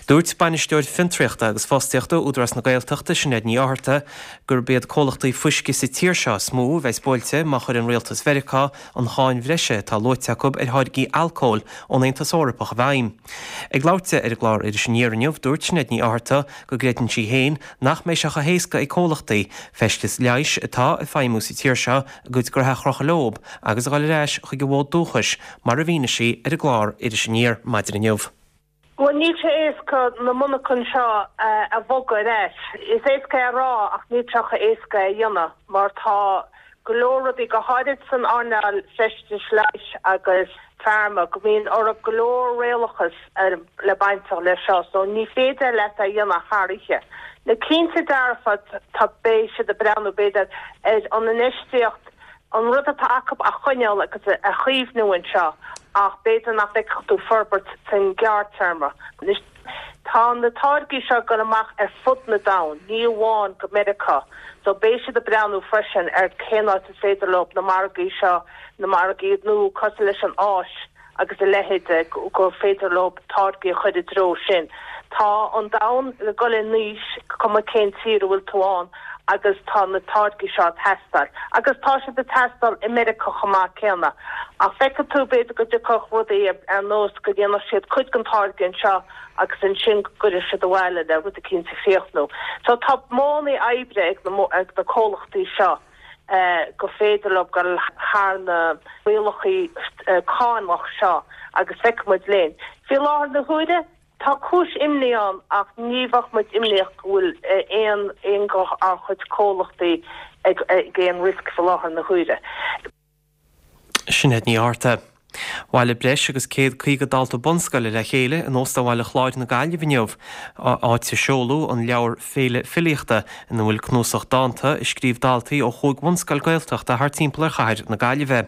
Dúirt Bainisteoir Fiontraíochta agus Fostaíochta Údarás na Gaeltachta, Sinéad Ní Fhátharta, gurb iad comhlachtaí fuisce sa tír seo is mó a bheas buailte má chuireann rialtas Mheiriceá an cháin bhreise atá luaite acu ar tháirgí alcóil ón Aontas Eorpach i bhfeidhm. Ag labhairt di ar an gclár Iris Aniar inniu, dúirt Sinéad Ní Fhátharta go gcreideann sí féin nach mbeidh sé chomh héasca ag comhlachtaí feisteas leighis atá ag feidhmiú sa tír seo a gcuid gnoithe a chrochadh leo agus a dhul ar ais chuig a bhfód dúchais, mar a mhínigh sí ar an gclár Iris Aniar maidin inniu. Bhuel, níl sé éasca na monarchana seo a bhogadh ar ais. Is éasca é a rá ach níl sé chomh éasca é a dhéanamh mar tá go leor rudaí, go háirid san earnáil feistis leighis agus pharma, go mbíonn orthu go leor rialachas le baint leis seo so ní féidir leat é a dhéanamh thar oíche. Na cinnte dearfa tá beidh siad ag breathnú b'fhéidir ar an infheistíocht an rud atá acu a choinneáil agus a chaomhnú anseo ach b'fhéidir nach bhfeicfeadh tú forbairt san ghearrtéarma. Anois tá na táirgí seo ag dul amach ar fud na domhain, ní amháin go Meiriceá, so beidh siad ag breathnú freisin ar cén áit is féidir leo na margaí seo, na margaí nua cosúil leis an Áis agus a leithéid, gur féidir leo táirgí a chur i dtreo sin. Tá an domhan ag dul in aois, cuma cén tír a bhfuil tú ann, agus tá na táirgí seo ag teastáil. Agus tá siad ag teastáil i Meiriceá chomh maith céanna. Ach feicfidh tú b'fhéidir go dtiocfadh rudaí ar nós go ndéanfadh siad cuid den táirge anseo agus ansin go gcuirfidh siad abhaile le rud eicínt a chríochnú. So tá modhanna oibre ag na ag na comhlachtaí seo go féidir leo dul thar na rialacha cánach seo agus feicfidh muid linn. Faoi láthair na huaire, Tá cúis imní ann ach ní bheadh muid imníoch go bhfuil aon aon dár gcuid comhlachtaí ag ag aon riosca faoi láthair na huaire. Sinéad Ní Fhátharta. Bhailigh breis agus céad caoga dalta bunscoile le chéile in Óstán Bhaile Chláir na Gaillimhe inniu, áit a seoladh an leabhar Féile Filíochta ina bhfuil cnuasach dánta a scríobh daltaí ó chúig bhunscoil Gaeltachta thar timpeall ar chathair na Gaillimhe.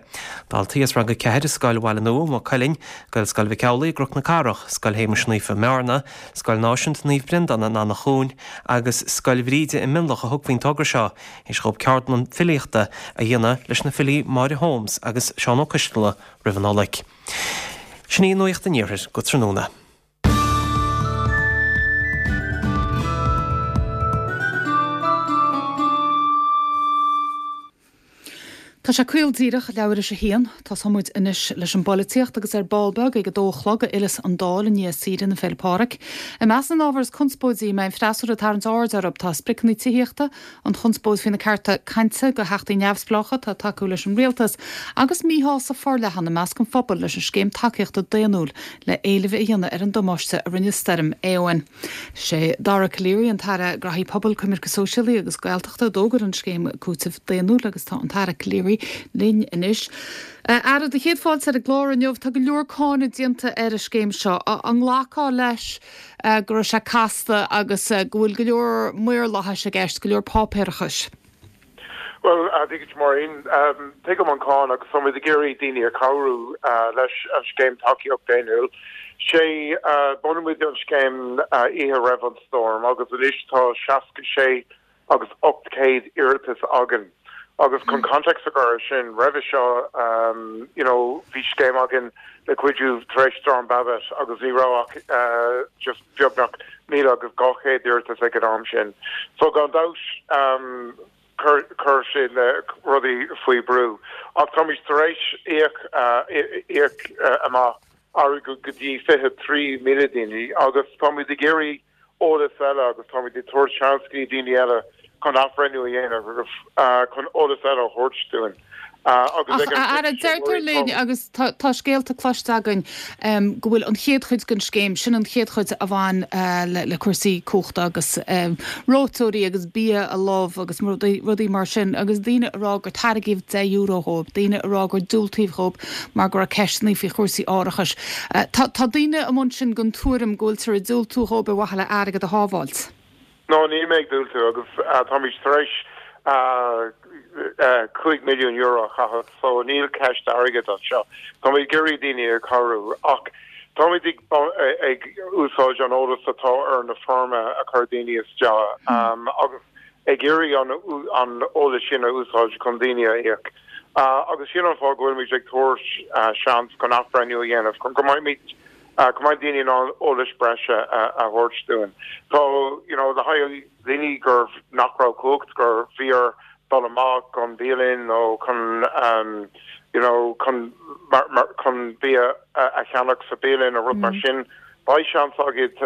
Daltaí as rang a ceathair i Scoil Bhaile Nua, Maigh Cuilinn, Gaelscoil Mhic Amhlaigh i gCnoc na Cathrach, Scoil Shéamais Naofa i mBearna, Scoil Náisiúnta Naomh Breandán in Eanach Dhúin agus Scoil Bhríde i Mionlach a thug faoin togra seo, théis dhóibh ceardlann filíochta a dhéanamh leis na filí Máire Holmes agus Seán Ó Coistealbha roimh an Nollaig. Sin í Nuacht an Iarthair go tráthnóna. Tá sé caol díreach leathuair théis a haon. Tosóidh muid anois leis an bpolaitíocht agus ar ball beag ag a dó a chlog a fhilleas an Dáil i ndiaidh saoire na Féile Pádraig. I measc na n-ábhar is conspóidí a mbeidh an freasúra ag tarraingt aird orthu tá spriocanna tithíochta, an chonspóid faoi na cearta cainte do theachtaí neamhspleácha atá ag tacú leis an rialtas agus míshásamh forleathan i measc an phobail leis an scéim tacaíochta daonnúil le éileamh a dhéanamh ar an damáiste a rinne stoirm Éowyn. Sé Dara Calleary an tAire Graithí Pobail, Coimirce Sóisialaí agus Gaeltachta a d'fhógair an scéim cúitimh daonnúil agus tá an tAire Calleary linn anois. A Aire, do chéad fáilte ar an gclár inniu, tá go leor cáineadh déanta ar an scéim seo. An nglacfá leis go raibh sé casta agus go bhfuil go leor maorlathais i gceist, go leor páipéarachais? Bhuel, Dia duit Máirín, tuigim an cáineadh agus táimid ag iarraidh daoine a chabhrú leis an scéim tacaíocht daonnúil. Sé bhunaigh muid an scéim oíche roimh an stoirm agus anois tá seasca sé agus ocht céad iarratas againn. Agus chun context a chur air sin, roimhe seo you know bhí scéim againn le cuidiú tar éis Stoirm Babet agus ní raibh ach just beagnach míle agus dhá chéad iarratas ag an am sin. So gan dabht chuir chuir sé na rudaí faoi brú. Ach táimid tar éis íoc íoc amach airgead go dtí fiche trí míle daoine agus táimid ag iarraidh eolas eile agus táimid ag tabhairt seans go dtí daoine eile chun athbhreithniú a dhéanamh agus chun eolas eile a thabhairt dúinn. Agus ag an Ach, a Aire, deirtear linn, agus tá scéalta cloiste againn, go bhfuil an chéad chuid den scéim, sin an chéad chuid a bhain le cúrsaí cumhachta agus reoiteoirí agus bia a lobh agus rudaí mar sin, agus daoine ag rá gur tairgíodh deich euro dhóibh, daoine ag rá gur diúltaíodh dhóibh mar go raibh ceisteanna faoi chúrsaí árachais. Tá daoine amuigh ansin den tuairim go bhfuiltear ag diúltú dhóibh ar mhaithe le airgead a shábháilt. No, níl mé ag diúltú agus táimid tar éis cúig milliún euro a chaitheamh so níl ceist airgid anseo. Táimid ag iarraidh daoine a chabhrú ach táimid ag úsáid an eolas atá ar na foirmeacha a chuir daoine isteach agus ag iarraidh an eolas sin a úsáid chun daoine a íoc. Agus sin an fáth go bhfuilimid ag tabhairt seans chun athbhreithniú a dhéanamh, chun go mbeimid, go mbeidh daoine in ann eolas breise a thabhairt dúinn. Tá, you know, le haghaidh daoine gur, nach raibh cumhacht, gur bhí orthu dul amach chun bialann nó chun, you know, chun, chun bia a cheannach sa bialann nó rud mar sin, beidh seans agat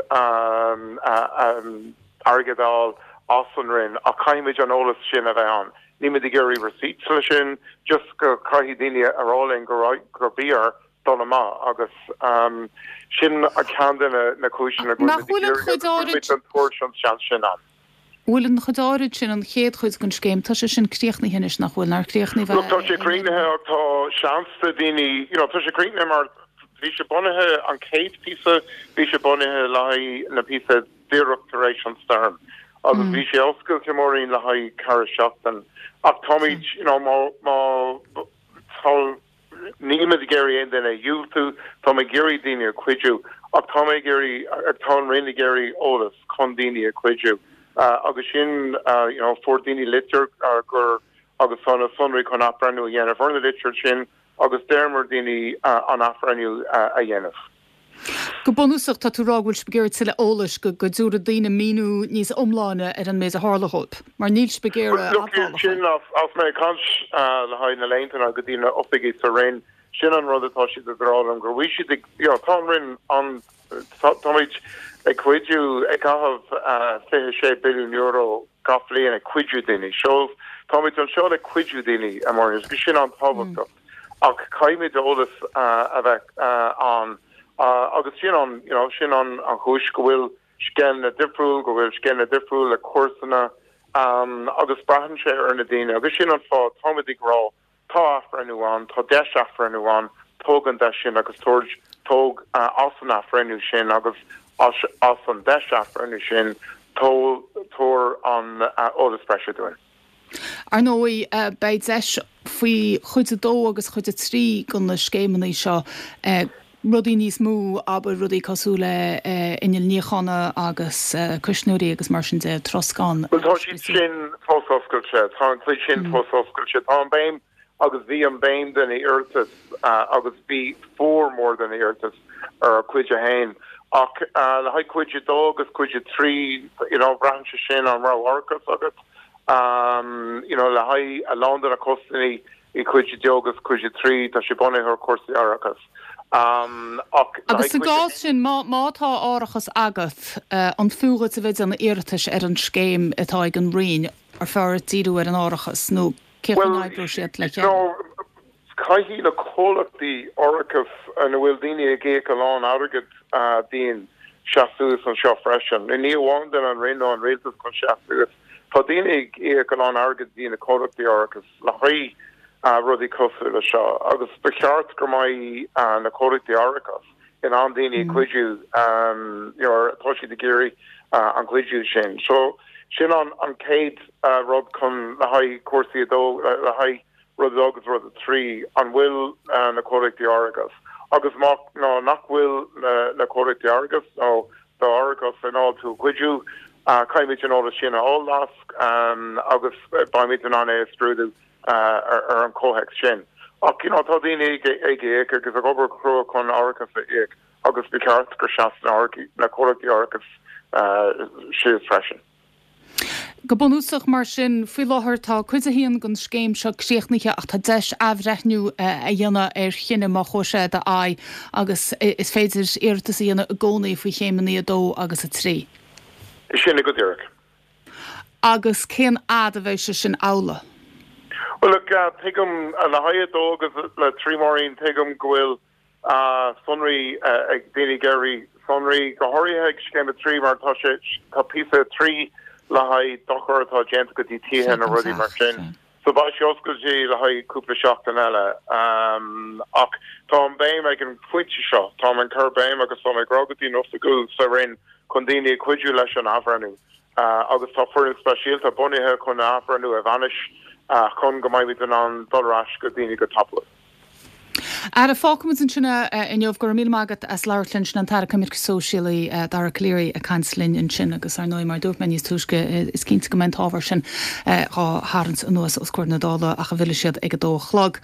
airgead a fháil as an Roinn ach caithfimid an eolas sin a bheith ann. Nílimid ag iarraidh receipts le sin, just go caithfidh daoine a rá linn go raibh, gur bhí orthu dul amach agus sin ceann de na cúiseanna go Nach bhfuilimid ag bhfuil an iarraidh chuid agus áirid. cuirimid an tabhairt an seans sin ann. Bhfuil an chuid áirid sin, an chéad chuid den scéim, tá sé sin críochnaithe anois, nach bhfuil? Nár chríochnaigh Look, tá sé críochnaithe ach tá seans do daoine, you know, tá sé críochnaithe mar bhí sé bunaithe, an chéad píosa, bhí sé bunaithe le haghaidh na píosa díreach tar éis an stoirm agus bhí sé oscailte Máirín le haghaidh ceithre seachtain ach táimid, you know, má, má, tá, Nílimid ag iarraidh aon duine a dhiúltú, táim ag iarraidh daoine a chuidiú, ach tá mé ag iarraidh, tá an Roinn ag iarraidh eolas chun daoine a chuidiú agus sin, you know, fuair daoine litir gur, agus tá na sonraí chun athbhreithniú a dhéanamh ar na litir sin agus d'iarramar daoine an athbhreithniú a dhéanamh. Go bunúsach tá tú ag rá go bhfuil sibh ag iarraidh tuilleadh eolais go go dtabharfaidh daoine míniú níos iomláine ar an méid a tharla dhóibh, mar níl sibh ag iarraidh Look, admhálacha. sin as mé ag caint le haghaidh na laethanta go dtí na oifigigh sa Roinn, sin an rud atá siad ag rá liom, go bhfuil siad ag, you know, tá an Roinn an, táimid ag cuidiú, ag caitheamh fiche sé billiún euro gach bliain ag cuidiú daoine. So táimid anseo le cuidiú daoine, a Mháirín, agus sin an-tábhachtach. Ach caithfimid eolas a bheith ann agus sin an, you know, sin an an chúis go bhfuil scéimeanna difriúil, go bhfuil scéimeanna difriúil le cúrsanna agus braitheann sé ar na daoine agus sin an fáth táimid ag rá tá athbhreithniú ann, tá deis athbhreithniú ann, tóg an deis sin agus tabhair, tóg as an athbhreithniú sin agus as as an deis athbhreithniú sin, tabhair an eolas breise dúinn. Ar ndóigh, beidh deis faoi chuid a dó agus chuid a trí de na scéimeanna seo rudaí níos mó, abair, rudaí cosúil le innill níochána agus cuisneoirí agus mar sin de, troscán. Bhuel, tá siad sin fós oscailte, tá an chuid sin fós oscailte. Tá an béim agus bhí an béim den iarratas agus bhí formhór den iarratas ar chuid a haon. Ach le haghaidh cuid a dó agus cuid a trí, you know, braitheann sé sin an raibh árachas agat, you know, le haghaidh a lán de na costais i cuid a dó agus cuid a trí, tá sé bunaithe ar chúrsaí árachas. Ach le Agus haghaidh sa cuid a gcás sin, má má tá árachas agat, an fiú dhuit a bheith ag déanamh iarratais ar an scéim atá ag an Roinn, ar fearr duit díriú ar an árachas nó cén chaoi a Bhuel, n-oibreoidh siad le chéile? no, caithfidh na comhlachtaí árachais ina bhfuil daoine ag íoc a lán airgead dínn seasamh suas anseo freisin. Ní amháin den an Roinn nó an rialtas chun seasamh suas. Tá daoine ag íoc a lán airgead dtí na comhlachtaí árachais le haghaidh rudaí cosúil le seo agus ba cheart go mbeidh na comhlachtaí árachais in ann daoine a chuidiú nuair atá siad ag iarraidh an cuidiú sin. So sin an an chéad rud chun le haghaidh cúrsaí a dó le haghaidh rud a dó agus rud a trí, an bhfuil na comhlachtaí árachais agus má nó nach bhfuil na comhlachtaí árachais nó d'árachas in ann tú a chuidiú, caithfimid an eolas sin a fháil agus beimid in ann é a scrúdú ar an chomhthéacs sin. Ach you know tá daoine ag ag íoc agus ag obair crua chun árachas a íoc agus ba cheart gur sheas na comhlachtaí árachais síos freisin. Go bunúsach mar sin, faoi láthair tá cuid a haon den scéim seo críochnaithe ach tá deis athbhreithniú a dhéanamh ar chinneadh má chuaigh sé i d'aghaidh agus is féidir iarratas a dhéanamh i gcónaí faoi chéimeanna a dó agus a trí. Sin é go díreach. Agus cén fhad a bheidh sé sin amhlaidh? Bhuel, look, tuigim le haghaidh a dó agus le trí Máirín, tuigim go bhfuil sonraí ag daoine ag iarraidh sonraí, go háirithe ag scéim a trí mar tá sé, tá píosa a trí le haghaidh dochar atá déanta go dtí tithe nó rudaí mar sin. So beidh sé oscailte le haghaidh cúpla seachtain eile. Ach tá an béim ag an phointe seo, táim ag cur béim agus táim ag rá go dtí na hoifigigh sa Roinn chun daoine a chuidiú leis an athbhreithniú. Agus tá foireann speisialta bunaithe chun an athbhreithniú a bhainistiú chun go mbeimid in ann dul ar ais go daoine go tapúil. Ara, fágfaimid ansin é inniu. Go raibh míle maith agat as labhairt linn. Sin an tAire Coimirce Sóisialaí, Dara Calleary ag caint linn ansin agus ar ndóigh mar a dúirt mé níos túisce is cinnte go mbeidh an t-ábhar sin dhá tharraingt anuas os comhair na Dála ach a bhfillfidh siad ag a dó a chlog.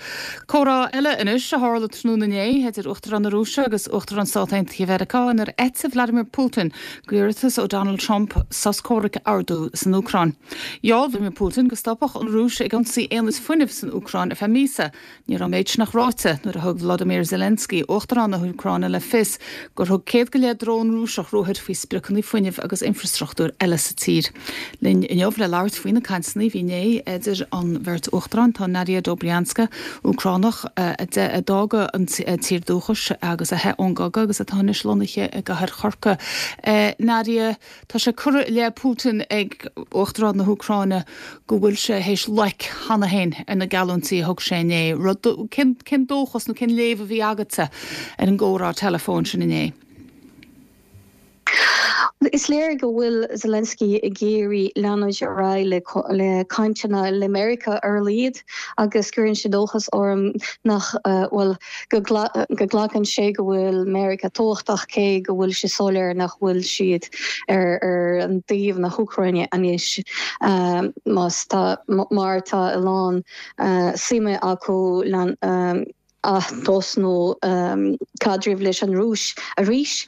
Comhrá eile anois a tharla tráthnóna inné idir Uachtarán na Rúise agus Uachtarán Stát Aontaithe Mheiriceá inar eitigh Vladimir Putin d'iarratas ó Donald Trump sos comhraic a ordú san Úcráin. Gheall Vladimir Putin go stopfadh an Rúis ag ionsaí aonaid fuinnimh san Úcráin ar feadh míosa. Ní raibh an méid sin ach ráite nuair a thug Volodymyr Zelensky, Uachtarán na hÚcráine, le fios gur thug céad go leith drón Rúiseach ruathair faoi spriocanna fuinnimh agus infreastruchtúir eile sa tír. Linn inniu le labhairt faoi na cainteanna a bhí inné idir an bheirt uachtarán tá Nadia Dobrianska, Úcránach a d'fhág an tír dúchais agus a theith ón gcogadh agus atá anois lonnaithe i gcathair Chorcaí. Nadia, tá sé curtha i leith Putin ag Uachtarán na hÚcráine go bhfuil sé théis loic cheana féin ar na geallúintí a thug sé inné. Rud, cén, cén dóchas nó cén léamh a bhí agatsa ar an gcomhrá teileafóin sin inné? Is léir go bhfuil Zelensky ag iarraidh leanúint ar aghaidh le le cainteanna le Meiriceá ar a laghad agus cuireann sé dóchas orm nach bhfuil go go nglacann sé go bhfuil Meiriceá tábhachtach cé go bhfuil sé soiléir nach bhfuil siad ar ar an taobh na hÚcráine anois más tá mar tá a lán suime acu atosnú caidreamh leis an Rúis arís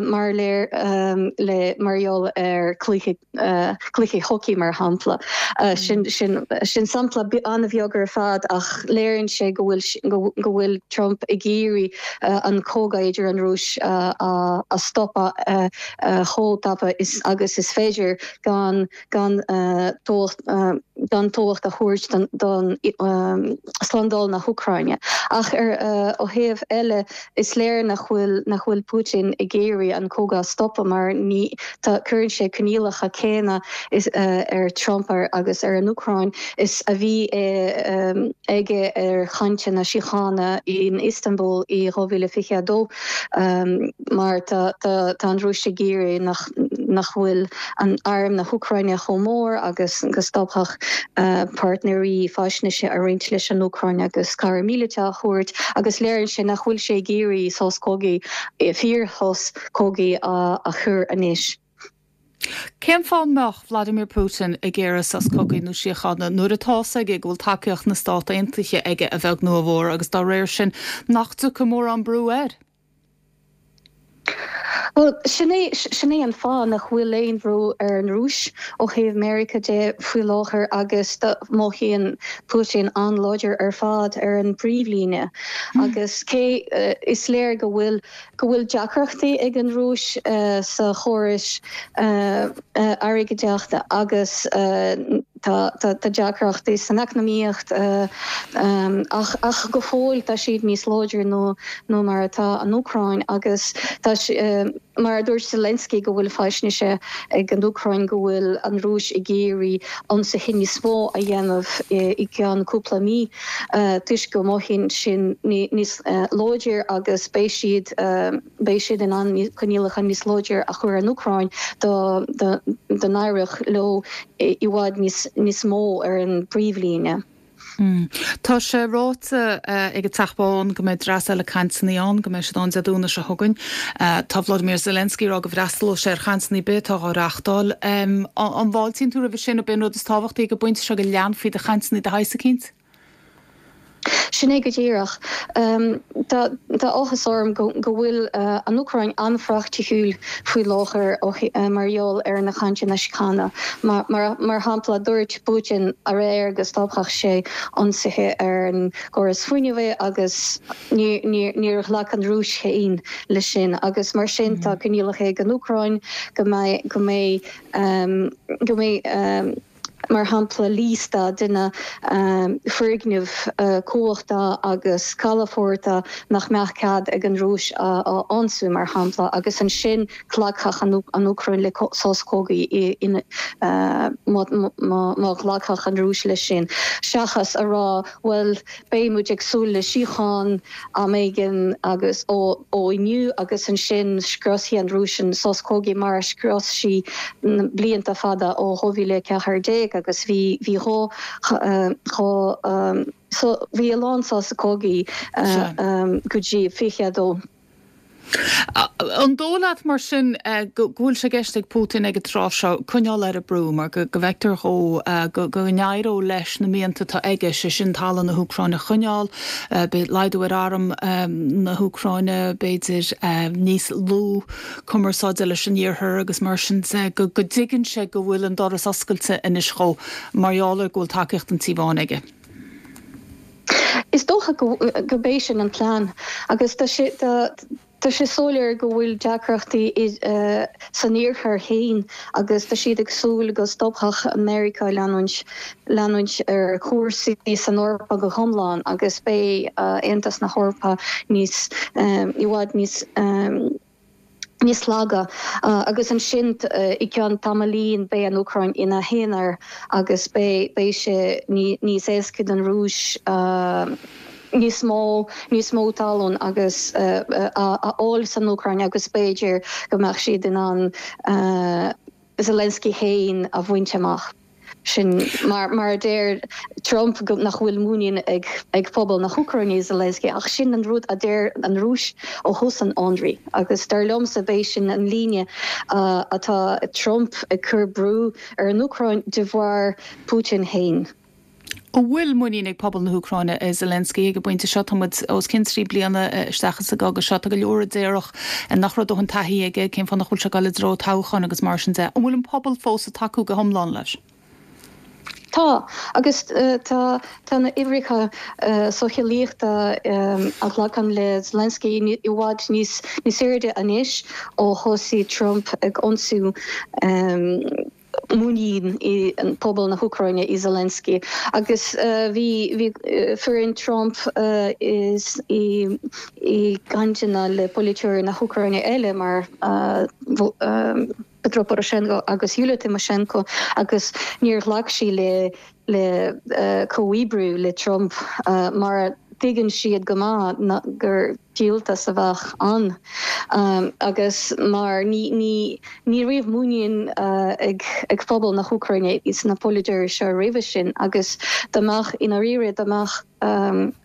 mar léir le mar gheall ar cluiche cluiche hockey mar shampla. Sin sin sin sampla an-bheag ar fad ach léiríonn sé go bhfuil go bhfuil Trump ag iarraidh an cogadh idir an Rúis a a stopadh chomh tapa is agus is féidir gan gan gan tábhacht a thabhairt don slándáil na hÚcráine. Ach ar ó thaobh eile is léir nach bhfuil nach bhfuil Putin ag iarraidh an cogadh a stopadh mar ní tá cuireann sé coinníollacha céanna is ar Trump ar agus ar an Úcráin is a bhí aige ar chainteanna síochána in Istanbul i dhá mhíle fiche a dó mar tá tá an Rúis ag iarraidh nach nach bhfuil an arm na hÚcráine chomh mór agus go stopfadh páirtnéirí faisnéise a roinnt leis an Úcráin agus cabhair míleata a thabhairt agus léiríonn sé nach bhfuil sé ag iarraidh sos cogaidh fíorshos cogaidh a chur anois. Cén fáth a mbeadh Vladimir Putin ag iarraidh sos cogaidh nó síochána nuair atá fhios aige go bhfuil tacaíocht na Stát Aontaithe aige a bheag nó a mhór agus dá réir sin nach dtiocfaidh mórán brú air? Bhuel, sin é sin é an fáth nach bhfuil aon bhrú ar an Rúis ó thaobh Meiriceá de faoi láthair agus mothaíonn Putin an-láidir ar fad ar an bpríomhlíne. Agus cé is léir go bhfuil go bhfuil deacrachtaí ag an Rúis sa chóras airgeadaíochta agus tá tá deacrachtaí san eacnamaíocht ach ach go fóill tá siad níos láidre nó nó mar atá an Úcráin agus tá mar a dúirt Zelensky go bhfuil faisnéise ag an Úcráin go bhfuil an Rúis ag iarraidh ionsaithe níos mó a dhéanamh i gceann cúpla mí toisc go mothaíonn sin níos láidir agus beidh siad beidh siad in ann coinníollacha níos láidir a chur an Úcráin dá n-éireodh leo i bhfad níos níos mó ar an bpríomhlíne. Tá sé ráite ag an Teach Bán go mbeidh dreas eile cainteanna ann, go mbeidh siad ann Dé Domhnaigh seo chugainn. Tá Vladimir Zelensky ag rá go bhfreastalóidh sé ar chainteanna ar bith atá á reáchtáil. An bhfáiltíonn tú roimhe sin nó b'in rud is tábhachtaí ag an bpointe seo go leanfaí de chainteanna de shaghas eicínt? Sin é go díreach. Tá áthas orm go bhfuil an Úcráin an-phraiticiúil faoi láthair mar gheall ar na cainteanna síochána. Mar shampla, dúirt Putin aréir go stopfadh sé ionsaithe ar an gcóras fuinnimh agus níor ghlac an Rúis féin leis sin agus mar sin tá coinníollacha ag an Úcráin go mbeidh go mbeidh go mbeidh mar shampla liosta de na foirgnimh cumhachta agus calafoirt nach mbeadh cead ag an Rúis a ionsú mar shampla agus ansin glacfadh an Úcráin le sos cogaidh má ghlacfadh an Rúis leis sin. Seachas a rá bhuel beidh muid ag súil le síocháin am éigin agus ó inniu agus ansin scriosfaidh an Rúis an sos cogaidh mar a scrios sí blianta fada ó dhá mhíle a ceathair déag agus bhí bhí dhá dhá so bhí a lán sos cogaidh go dtí fiche a dó. An dóigh leat mar sin go bhfuil sé i gceist ag Putin ag an tráth seo coinneáil ar an brú mar go bhfeictear dhó go n-éireodh leis na mianta atá aige, sé sin talamh na hÚcráine a choinneáil, laghdú ar arm na hÚcráine, b'fhéidir níos lú cumarsáide leis an Iarthar agus mar sin de, go dtuigeann sé go bhfuil an doras oscailte anois dhó mar gheall ar go bhfuil tacaíocht an Tí Bháin aige. Is dócha go b'é sin an plean agus tá sé tá sé soiléir go bhfuil deacrachtaí san iarthar féin agus tá siad ag súil go stopfadh Meiriceá leanúint leanúint ar chúrsaí san Eoraip go hiomlán agus beidh Aontas na hEorpa níos i bhfad níos níos laige agus ansin i gceann tamaillín beidh an Úcráin ina haonar agus beidh beidh sé níos éasca don Rúis níos mó níos mó talún agus a fháil san Úcráin agus b'fhéidir go mbeadh siad in ann Zelensky féin a bhaint amach. Sin mar mar a deir Trump go nach bhfuil muinín ag ag pobal na hÚcráine i Zelensky ach sin an rud a deir an Rúis ó thús an ionraidh agus dar liomsa b'é sin an líne atá Trump ag cur brú ar an Úcráin de bharr Putin féin. An bhfuil muinín ag pobal na hÚcráine i Zelensky ag an bpointe seo? Tá muid os cionn trí bliana isteach sa gcogadh seo. Tá go leor a déarfadh nach raibh dóthain taithí aige, cén fáth nach bhfuil sé ag dul i dtreo toghcháin agus mar sin de. An bhfuil an pobal fós ag tacú go hiomlán leis? Tá, agus tá tá na huimhreacha socheolaíochta a ghlacann le Zelensky i bhfad níos níos airde anois ó thosaigh Trump ag ionsú muinín i pobal na hÚcráine i Zelensky agus bhí bhí foireann Trump is i i gcainteanna le polaiteoirí na hÚcráine eile mar Petro Poroshenko agus Yulia Tymoshenko agus níor ghlac sí le le comhoibriú le Trump mar tuigeann siad go maith gur díoltas a bheadh ann agus mar ní ní ní raibh muinín ag ag pobal na hÚcráine sna polaiteoirí seo roimhe sin agus dá mbeadh i ndáiríre dá mbeadh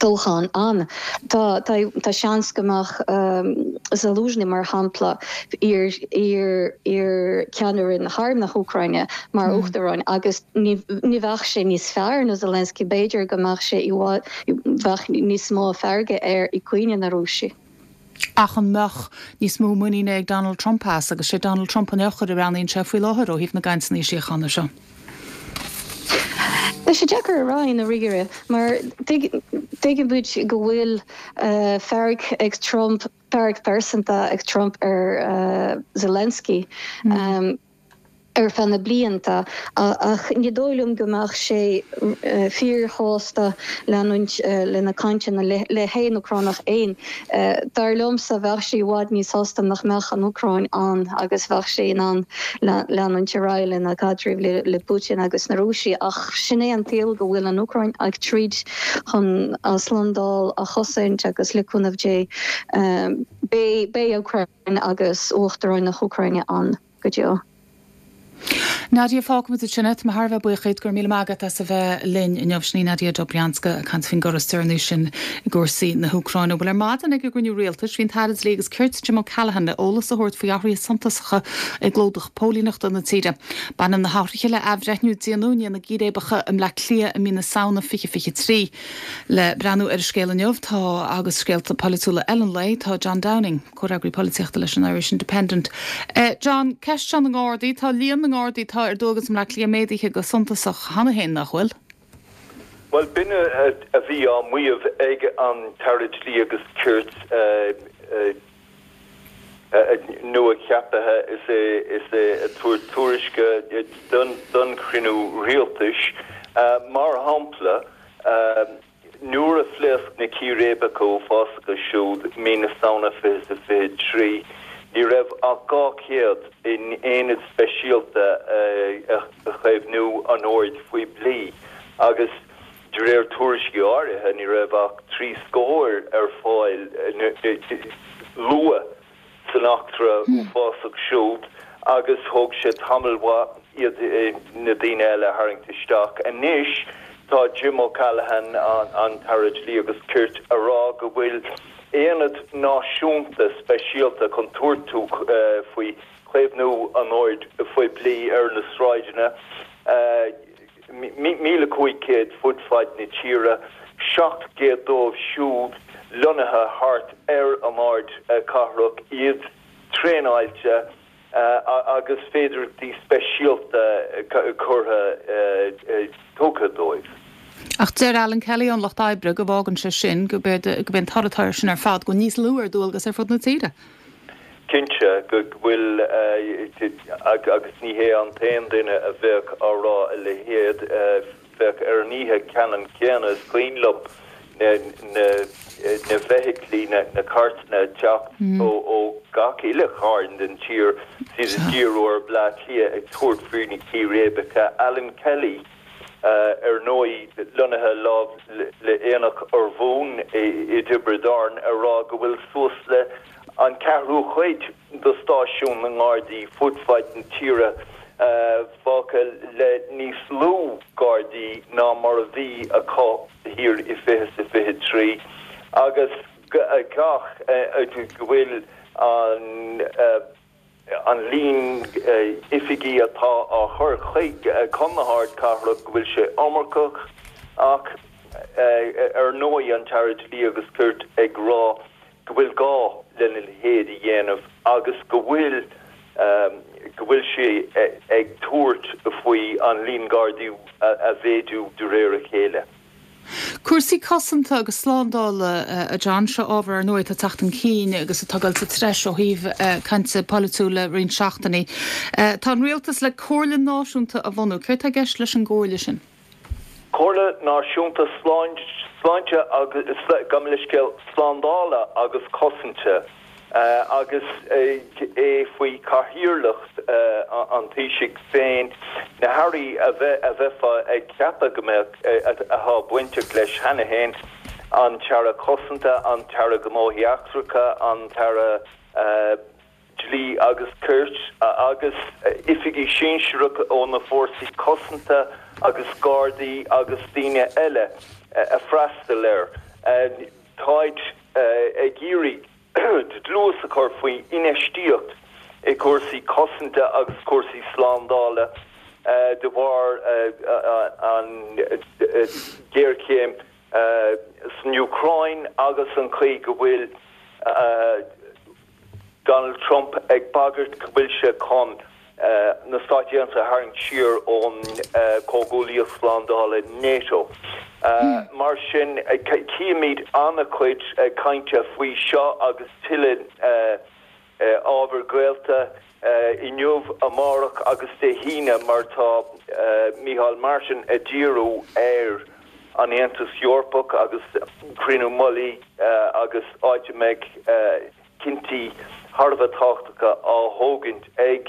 toghchán ann. Tá tá tá seans go mbeadh Zaluzhny mar shampla iar iar iar ceannaire na harm na hÚcráine mar uachtarán agus ní ní bheadh sé níos fearr ná Zelensky b'fhéidir go mbeadh sé i bhfad bheadh níos mó fearga air i gcoinne na Rúise. Ach an mbeadh níos mó muiníne ag Donald Trump as agus sé Donald Trump an eochair a bhreathnaíonn sé faoi láthair ó thaobh na gcainteanna síochána seo? Tá sé deacair a rá i ndáiríre mar tuigeann muid go bhfuil fearg ag Trump, fearg phearsanta ag Trump ar Zelensky ar feadh na blianta ach ní dóigh liom go mbeadh sé fíorshásta leanúint lena cainteanna le haon Úcránach aon. Dar liomsa bheadh sé i bhfad níos sásta nach mbeadh an Úcráin ann agus bheadh sé in ann leanúint ar aghaidh lena caidreamh le Putin agus na Rúisigh ach sin é an saol go bhfuil an Úcráin ag troid chun a slándáil a chosaint agus le cúnamh Dé beidh Úcráin agus Uachtarán na hÚcráine ann go deo. Nadia fágfaimid ansin é. Tá mé thar a bheith buíoch díot go raibh míle maith agat as a bheith linn inniu. Sin í Nadia Dobrianska ag caint faoin gcor is deireanaí sin i gcúrsaí na hÚcráine. Bhuel ar maidin ag an gcruinniú rialtais bhí an tAire Dlí agus Cirt Jim O'Callaghan le eolas a thabhairt faoi athruithe suntasacha i gclúdach póilíneachta na tíre. Baineann na hathruithe le athbhreithniú a déanadh i ndiaidh na gcíréibeacha i mBleá Cliath i mí na Samhna fiche fiche trí. Le breathnú ar an scéal inniu tá agus scéalta polaitiúla eile an lae tá John Downing, comhfhreagraí polaitíochta leis an Irish Independent. John, ceist seo na nGardaí, tá líon na nGardaí atá ar dualgas i mBleá Cliath méadaithe go suntasach cheana féin, nach bhfuil? Bhuel, b'in a bhí á maíomh ag an tAire Dlí agus Cirt nua-cheaptha is é is é ag tabhairt tuairisce don chruinniú rialtais. Mar shampla, Nuair a phléasc na círéibeacha uafásacha siúd mí na Samhna fiche is a fiche trí, ní raibh ach dhá chéad in aonad speisialta a chaomhnú an oird phoiblí agus de réir tuairiscí áirithe ní raibh ach trí scór ar fáil luath san eachtra uafásach siúd agus thóg sé tamall mhaith iad na daoine eile a tharraingt isteach. Anois tá Jim O'Callaghan, an tAire Dlí agus Cirt, a rá go bhfuil aonad náisiúnta speisialta chun tabhairt faoi chaomhnú an oird phoiblí ar na sráideanna. míle cúig chéad fud fad na tíre, seacht gcéad dóibh siúd lonnaithe thart ar an ardchathrach, iad traenáilte agus féidearthachtaí speisialta curtha tugtha dóibh. Ach deir Alan Kelly ón Lucht Oibre go bhfágann sé sin go b'é an toradh atá air sin ar fad go bhfuil níos lú ar dualgas ar fud na tíre. Cinnte go bhfuil, agus ní hé an t-aon duine a bheadh á rá a leithéid, bheadh ar an oíche ceannann céanna, is cuimhin liom na feithiclí, na cairteanna ag teacht ó gach uile chearn den tír, is iad ag díriú ar Bleá Cliath ag tabhairt faoi na círéibeacha. Alan Kelly. Ar ndóigh, lonnaithe láimh le Aonach Urmhumhan i dTiobraid Árann, a rá go bhfuil suas le an ceathrú cuid de stáisiúin na nGardaí fud fad na tíre fágtha le níos lú Gardaí ná mar a bhí acu thiar i fiche is a fiche trí agus gach go bhfuil an an líon oifigí atá á chur chuig chun na hardchathrach go bhfuil sé iomarcach ach ar ndóigh an tAire Dlí agus Cirt ag rá go bhfuil gá lena leithéid a dhéanamh agus go bhfuil go bhfuil sé ag tabhairt faoi an líon Gardaí a mhéadú de réir a chéile. Cúrsaí cosanta agus slándála, a John, seo ábhar ar ndóigh atá ag teacht chun cinn agus atá ag dul sa treis ó thaobh cainte polaitiúil le roinnt seachtainí. Tá an rialtas le comhairle náisiúnta a bhunú. Céard tá i gceist leis an gcomhairle sin? Comhairle Náisiúnta Sláinte agus, gabh mo leithscéal, Slándála agus Cosanta agus é faoi chathaoirleacht an Taoisigh féin, na hairí a bheifeá ag ceapadh go mbeadh, atá bainteach leis cheana féin, an tAire Cosanta, an tAire Gnóthaí Eachtracha, an tAire Dlí agus Cirt agus oifigigh sinsearacha ó na fórsaí cosanta agus Gardaí agus daoine eile a freastal air. Táid ag iarraidh dlús a chur faoi infheistíocht i gcúrsaí cosanta agus cúrsaí slándála de bharr an ghéarchéim san Úcráin agus an chaoi go bhfuil Donald Trump ag bagairt go bhfuil sé chun na Stáit Aontaithe a tharraingt siar ón Comhghuaillíocht Slándála NATO. Mar sin, címid an-chuid cainte faoi seo agus tuilleadh ábhar gaolta inniu, amárach agus Dé hAoine mar tá Micheál Martin ag díriú ar an Aontas Eorpach agus cruinniú mullaigh agus áit a mbeidh cinntí thar a bheith tábhachtacha á thógaint ag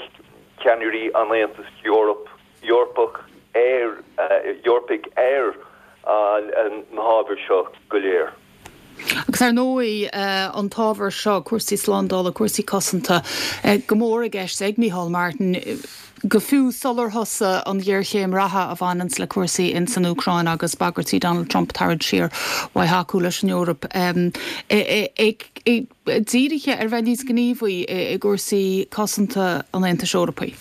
ceannairí an Aontais Eorpach ar Eorpaigh ar na hábhair seo go léir. Agus ar ndóigh an t-ábhar seo, cúrsaí slándála, cúrsaí cosanta, go mór i gceist ag Micheál Martin, go fiú sular thosaigh an ghéarchéim reatha a bhaineanns le cúrsaí ins an Úcráin agus bagairtí Donald Trump tarraingt siar uaidh thacú leis an Eoraip, dírithe ar bheith níos gníomhaí i gcúrsaí cosanta an Aontais Eorpaigh.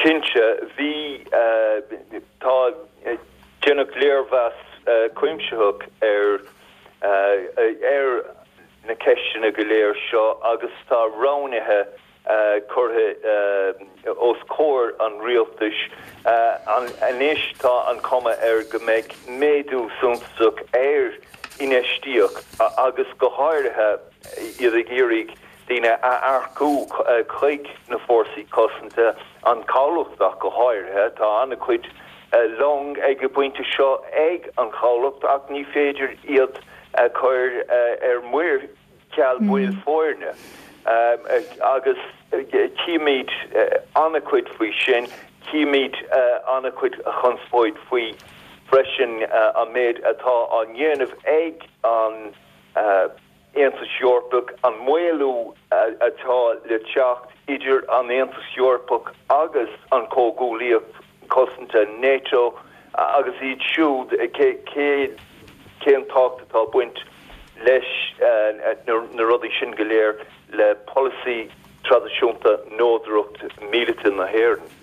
Cinnte, bhí, tá, déanadh léirmheas cuimsitheach ar ar na ceisteanna go léir seo agus tá roghnaithe curtha os comhair an rialtais. Anois tá an chuma air go mbeidh méadú suntasach ar infheistíocht agus go háirithe iad ag iarraidh daoine a earcú chuig na fórsaí cosanta, an chabhlach ach go háirithe. Tá an-chuid long ag an bpointe seo ag an chabhlach ach ní féidir iad a chur ar muir ceal baill foirne agus címid an-chuid faoi sin, címid an-chuid conspóid faoi freisin an méid atá á ndéanamh ag an Aontas Eorpach, an maolú atá le teacht idir an Aontas Eorpach agus an Chomhghuaillíocht Cosanta NATO agus iad siúd, cén tábhacht atá ag baint leis na rudaí sin go léir le polasaí traidisiúnta neodracht míleata na hÉireann.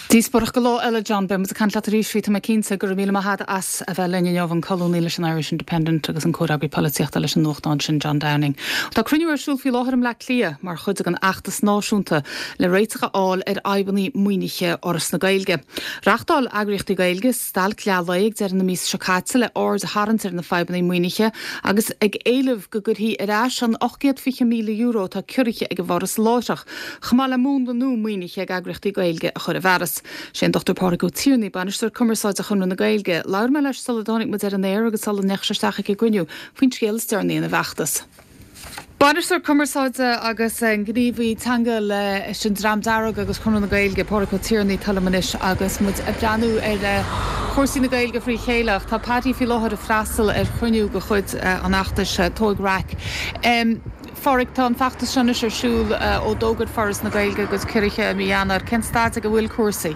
Díospóireacht do lá eile, John. Beidh muid ag caint leat arís faoi, tá mé cinnte. Go raibh míle maith agat as a bheith linn inniu, an colúnaí leis an Irish Independent agus an comhfhreagraí polaitíochta leis an nuachtán sin, John Downing. Tá cruinniú ar siúl faoi láthair i mBleá Cliath mar chuid den fheachtas náisiúnta le réiteach a fháil ar fhadhbanna maoinithe Fhoras na Gaeilge. Reáchtáil eagraíochtaí Gaeilge stailc leath lae ag deireadh na míosa seo caite le aird a tharraingt ar na fadhbanna maoinithe agus ag éileamh go gcuirfí ar ais an ocht gcéad fiche míle euro atá ciorraithe ag an bhForas láithreach, chomh maith le múnla nua maoinithe ag eagraíochtaí Gaeilge a chur i bhfearas. Sé an Dochtúir Pádraig Ó Tiarnaigh, Bainisteoir Cumarsáide Chonradh na Gaeilge. Labhair mé leis sula dtáinig muid ar an aer agus sula ndeachaigh sé isteach ag an gcruinniú faoin scéal is deireanaí ina bhfeachtas. Bainisteoir Cumarsáide agus gníomhaí teanga leis an Dream Dearg agus Conradh na Gaeilge, Pádraig Ó Tiarnaigh, atá liom anois agus muid ag breathnú ar chúrsaí na Gaeilge frí chéile. Ach tá Paddy faoi láthair ag freastal ar chruinniú de chuid an fheachtais Tóig Raic. A Phádraig, tá an feachtas seo anois ar siúl ó d'fhógair Foras na Gaeilge a gcuid ciorruithe i mí Eanáir. Cén staid ag a bhfuil cúrsaí?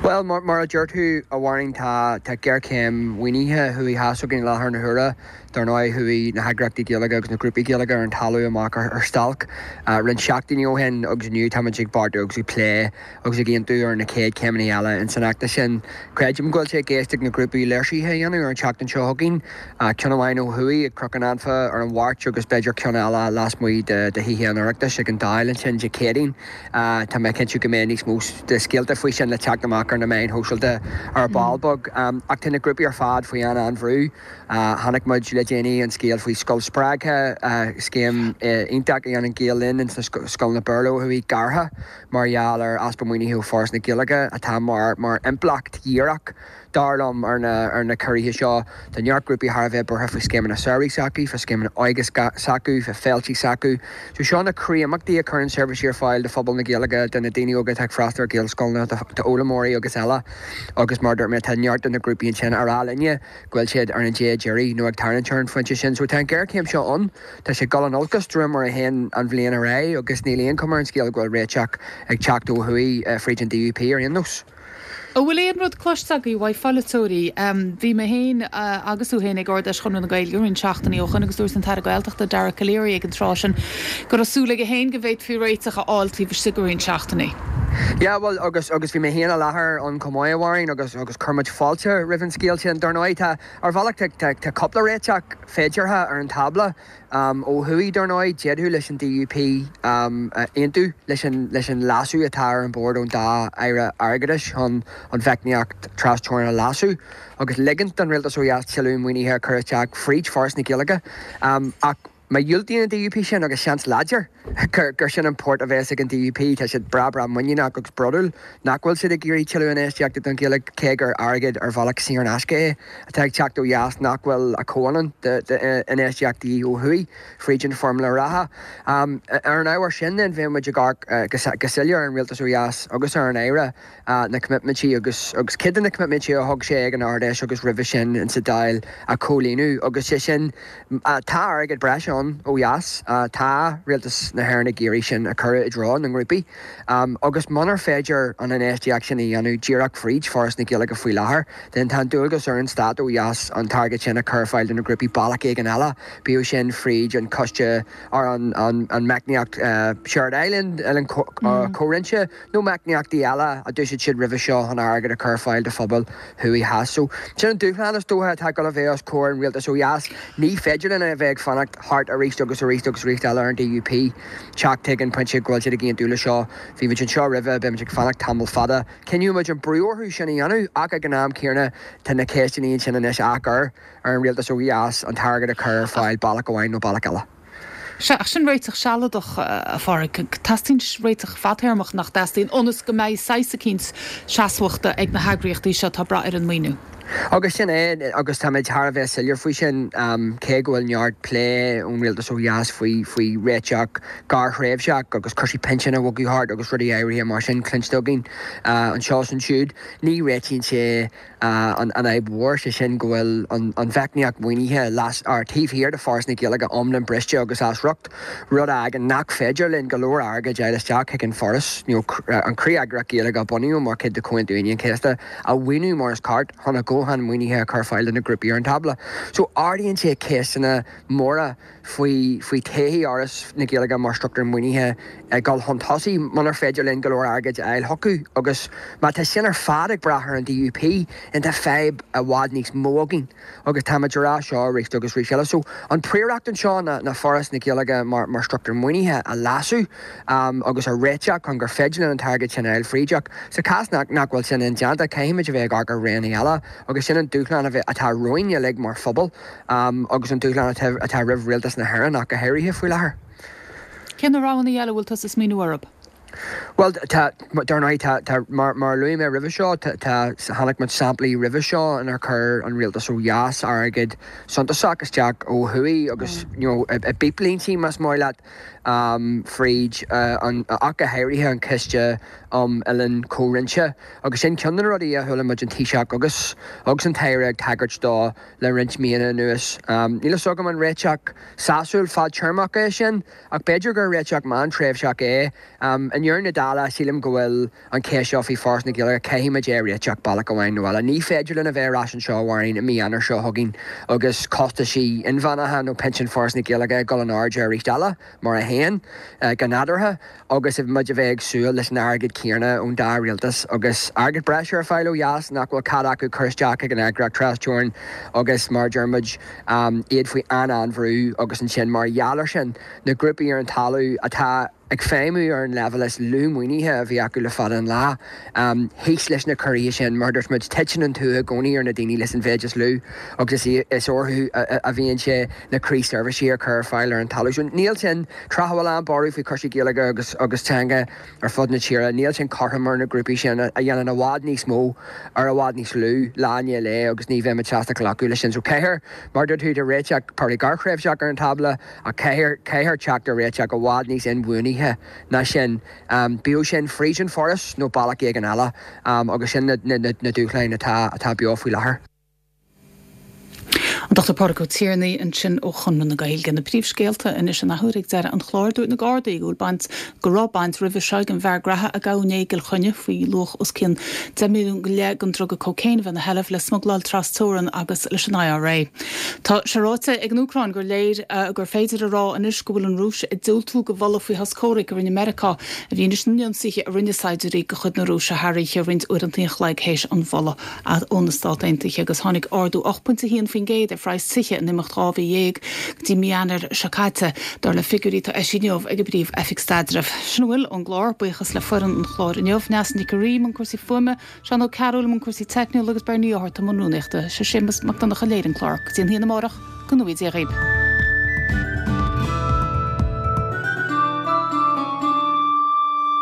Bhuel, mar a deir tú, a Mháirín, tá tá géarchéim mhaoinithe thuaidh theas againn i láthair na huaire. Dar ndóigh, chuaigh na heagraíochtaí Gaeilge agus na grúpaí Gaeilge ar an talamh amach ar stailc roinnt seachtainí ó shin agus inniu táimid ag beartú agus ag plé agus ag aontú ar na chéad chéimeanna eile ins an fheachtas sin. Creidim go bhfuil sé i gceist ag na grúpaí léirsithe a dhéanamh ar an tseachtain seo chugainn, ceann amháin ó thuaidh ag Cnoc an Anfa ar an Mháirt agus b'fhéidir ceann eile lasmuigh de Thithe an Oireachtais ag an Dáil ansin Dé Céadaoin. Tá mé cinnte go mbeidh níos mó de scéalta faoi sin le teacht amach ar na meáin shóisialta ar ball beag. Ach tá na grúpaí ar fad faoi an-an-bhrú. Chonaic muid le déanaí an scéal faoi Scoil Spreagtha, scéim iontach a dhéanann Gael Linn ins na scoileanna Béarla ó thuaidh, gearrtha mar gheall ar easpa maoinithe ó Foras na Gaeilge, atá mar mar impleacht dhíreach, dar liom, ar na ar na ciorruithe seo. Tá neart grúpaí thar a bheith buartha faoi scéimeanna samhraidh s'acu, fá scéimeanna óige s'acu, fá féiltí s'acu. So seo na croí-imeachtaí a chuireann seirbhísí ar fáil do phobal na Gaeilge, do na daoine óga atá ag freastal ar Ghaelscoileanna, d'fhoghlaimeoirí agus eile. Agus mar a dúirt mé, tá neart de na grúpaí ansin á rá linne go bhfuil siad ar an dé deiridh nó ag tarraingt ar an phointe sin. So tá an ghéarchéim seo ann, tá sé ag dul in olcas de réir mar a théann an bhliain ar aghaidh agus níl aon chuma ar an scéal go bhfuil réiteach ag teacht ó thuaidh fríd an DUP ar aon nós. An bhfuil aon rud cloiste agaibh uaidh pholaiteoirí? Bhí mé féin agus tú féin ag Ard-Fheis Chonradh na Gaeilge roinnt seachtainí ó shoin agus dúirt an tAire Gaeltachta Dara Calleary ag an tráth sin go raibh súil aige féin go bhféadfaí réiteach a fháil taobh istigh de roinnt seachtainí. Yeah, bhuel, agus agus bhí mé féin i láthair ann chomh maith, a Mháirín, agus agus chuir muid fáilte roimh an scéal sin. Dar ndóigh, tá, ar bhealach, tá tá tá cúpla réiteach féideartha ar an tábla. Ó thuaidh, dar ndóigh, d'fhéadfadh leis an DUP aontú leis an leis an leasú atá ar an bord ón dá Aire Airgeadais chun an mheicníocht tras-teorann a leasú agus ligint don Rialtas ó dheas tuilleadh maoinithe a chur isteach fríd Foras na Gaeilge. Ach má dhiúltaíonn an DUP sin, agus seans láidir gur sin an port a bheas ag an DUP, tá siad breá breá muiníneach agus bródúil nach bhfuil siad ag iarraidh tuilleadh infheistíochta don Ghaeilge, cé gur airgead ar bhealach saor in aisce é atá ag teacht ó dheas nach bhfuil a chomhionann d'infheistíochtaí ó thuaidh fríd an foirmle reatha. Ar an ábhar sin then, bheadh muid ag amharc go soiléir ar an Rialtas ó dheas agus ar an Aire na coimitmintí agus agus cuid de na coimitmintí a thug sé ag an Ard-Fheis agus roimhe sin insa Dáil a chomhlíonadh agus sé sin tá airgead breise ann ó dheas, tá Rialtas na hÉireann ag iarraidh sin a chur i dtreo na ngrúpaí agus munar féidir an infheistíocht sin a dhéanamh díreach fríd Foras na Gaeilge faoi láthair then tá an dualgas ar an Stát ó dheas an t-airgead sin a chur ar fáil do na grúpaí bealach éigin eile, bíodh sin fríd an coiste ar an an an meicníocht Shared Island, Oileán Comhroinnte nó meicníochtaí eile a d'úsáid siad roimhe seo chun airgead a chur ar fáil do phobail thuaidh theas. So sin an dúshlán is dócha atá ag dul a bheith os comhair an rialtais ó dheas. Ní féidir linn a bheith ag fanacht thart arís agus arís agus arís eile ar an DUP teacht chuig an pointe go bhfuil siad ag aontú le seo. Bhí muid anseo roimhe, beidh muid ag fanacht tamall fada. Coinneoidh muid an brú orthu sin a dhéanamh ach ag an am céanna tá na ceisteanna ansin anois á gcur ar an rialtas ó dheas an t-airgead a chur ar fáil bealach amháin nó bealach eile. Sea, ach sin réiteach sealadach, a Phádraig. Teastaíonn réiteach fadtéarmach, nach dteastaíonn, ionas go mbeidh saghas eicínt seasmhachta ag na heagraíochtaí seo atá ag brath ar an maoiniú. Agus sin é, agus táimid thar a bheith soiléir faoi sin, cé go bhfuil neart plé ón rialtas ó dheas faoi faoi réiteach gearrthréimhseach agus cúrsaí pinsin a bhogadh thart agus rudaí áirithe mar sin cluinste againn anseo is ansiúd, ní réitíonn sé an fhadhb mhór, sé sin go bhfuil an mheicníocht mhaoinithe las taobh thiar de Foras na Gaeilge iomlán briste agus as riocht, rud a fhágann nach féidir linn go leor airgid a fháil isteach chuig an Foras, nó an chroí-eagraíocht Ghaeilge a bunaíodh mar chuid de Chomhaontú Aoine an Chéasta, a mhaoiniú mar is ceart chun a dhóthain maoinithe a chur ar fáil do na grúpaí ar an tábla. So ardaíonn sé ceisteanna móra faoi faoi todhchaí Fhoras na Gaeilge mar struchtúr maoinithe ag dul chun tosaigh munar féidir linn go leor airgid a fháil chucu agus má tá sin ar fad ag brath ar an DUP then tá fadhb i bhfad níos mó againn agus táimid ag rá seo arís agus arís eile. So an phríoracht anseo ná ná Foras na Gaeilge mar mar struchtúr maoinithe a leasú agus a réiteach chun gur féidir linn an t-airgead sin a fháil fríd ach sa chás nach nach bhfuil sin indéanta caithfimid a bheith ag amharc ar roghanna eile agus sin an dúshlán a bheith atá romhainn uilig mar phobal agus an dúshlán atá atá roimh Rialtas na hÉireann ach go háirithe faoi láthair. Cé na roghanna eile a bhfuil tusa ag smaoineamh orthu? Bhuel, tá, dar ndóigh, tá, tá, mar, mar a luaigh mé roimhe seo, tá, tá, chonaic muid samplaí roimhe seo inar chuir an rialtas ó dheas airgead suntasach isteach ó thuaidh agus, you know, i, i bpíplíntí, más maith leat, fríd an, ach go háirithe an Ciste um oileán comhroinnte agus sin ceann de na rudaí a chuala muid an Taoiseach agus agus an tAire ag tagairt dó le roinnt míonna anuas. Níl a fhios agam an réiteach sásúil fadtéarmach é sin ach b'fhéidir gur réiteach meántréimhseach é. I ndeireadh na dála sílim go bhfuil an cheist seo faoi Foras na Gaeilge, caithfidh muid é a réiteach bealach amháin nó eile. Ní féidir linn a bheith ar ais anseo a Mháirín i mí Eanáir seo chugainn agus costaisí inmheánacha nó pinsin Foras na Gaeilge ag dul in airde arís eile mar a théann go nádúrtha agus muid a bheith ag súil leis an airgead céanna ón dá rialtas agus airgead breise ar fáil ó dheas nach bhfuil cead acu cur isteach ag an eagraíocht tras-teorann agus mar a deir muid iad faoi an-an-bhrú agus ansin mar gheall air sin na grúpaí ar an talamh atá ag feidhmiú ar an leibhéal is lú maoinithe a bhí acu le fada an lá. Thíos leis na ciorruithe sin, mar a dúirt muid, titeann an tua i gcónaí ar na daoine leis an mhéid is lú agus is orthu a bhíonn sé na croísheirbhísí a chur ar fáil ar an talamh. So níl sin, tráth a bhfuil an-bhorradh faoi chúrsaí Gaeilge agus agus teanga ar fud na tíre, níl sin cothrom ar na grúpaí sin a dhéanann i bhfad níos mó ar i bhfad níos lú lá i ndiaidh lae agus ní bheimid sásta glacadh leis sin. So caithfear, mar a dúirt tú, tá réiteach probably gearrthréimhseach ar an tábla ach caithfear, caithfear teacht ar réiteach i bhfad níos inbhuanaithe ná sin, bíodh sin fríd an Foras nó bealach éigin eile, agus sin na dúshláin atá beo faoi láthair. An Dochtúir Pádraig Ó Tiarnaigh ansin ó Chonradh na Gaeilge. Na príomhscéalta anois an athuair ag deireadh an chláir. Dúirt na Gardaí go bhfuil baint, go raibh baint roimhe seo ag an bhfear graithe a gabhadh inné i gCill Chainnigh faoi luach os cionn deich milliún go leith den druga cócaon a bheith ina sheilbh le smugláil tras-teorann agus leis an I R A. Tá sé ráite ag an Úcráin gur léir gur féidir a rá anois go bhfuil an Rúis ag diúltú do mholadh faoi shos comhraic a rinne Meiriceá i bhfianaise na n-ionsaithe a rinne saighdiúirí de chuid na Rúise thar oíche roinnt uaireanta an chloig théis an mholadh ó na Stát Aontaithe agus tháinig ardú ocht bpointe a haon faoin gcéad ar phraghas tithe in imeacht dhá mhí dhéag go dtí mí Eanáir seo caite, dar le figiúirí atá eisithe inniu ag an bPríomh-Oifig Staidrimh. Sin a bhfuil ón gclár. Buíochas le foireann an chláir inniu, Neasa Nic an Rí i mbun cúrsaí fuaime, Seán Ó Cearúil i mbun cúrsaí teicniúla agus Bernie Ó hArta i mbun rúnaíochta. Sé Séamus Mac Donncha a léirigh an clár. Go dtí an haon amárach, go ngnóthaí Dia dhaoibh.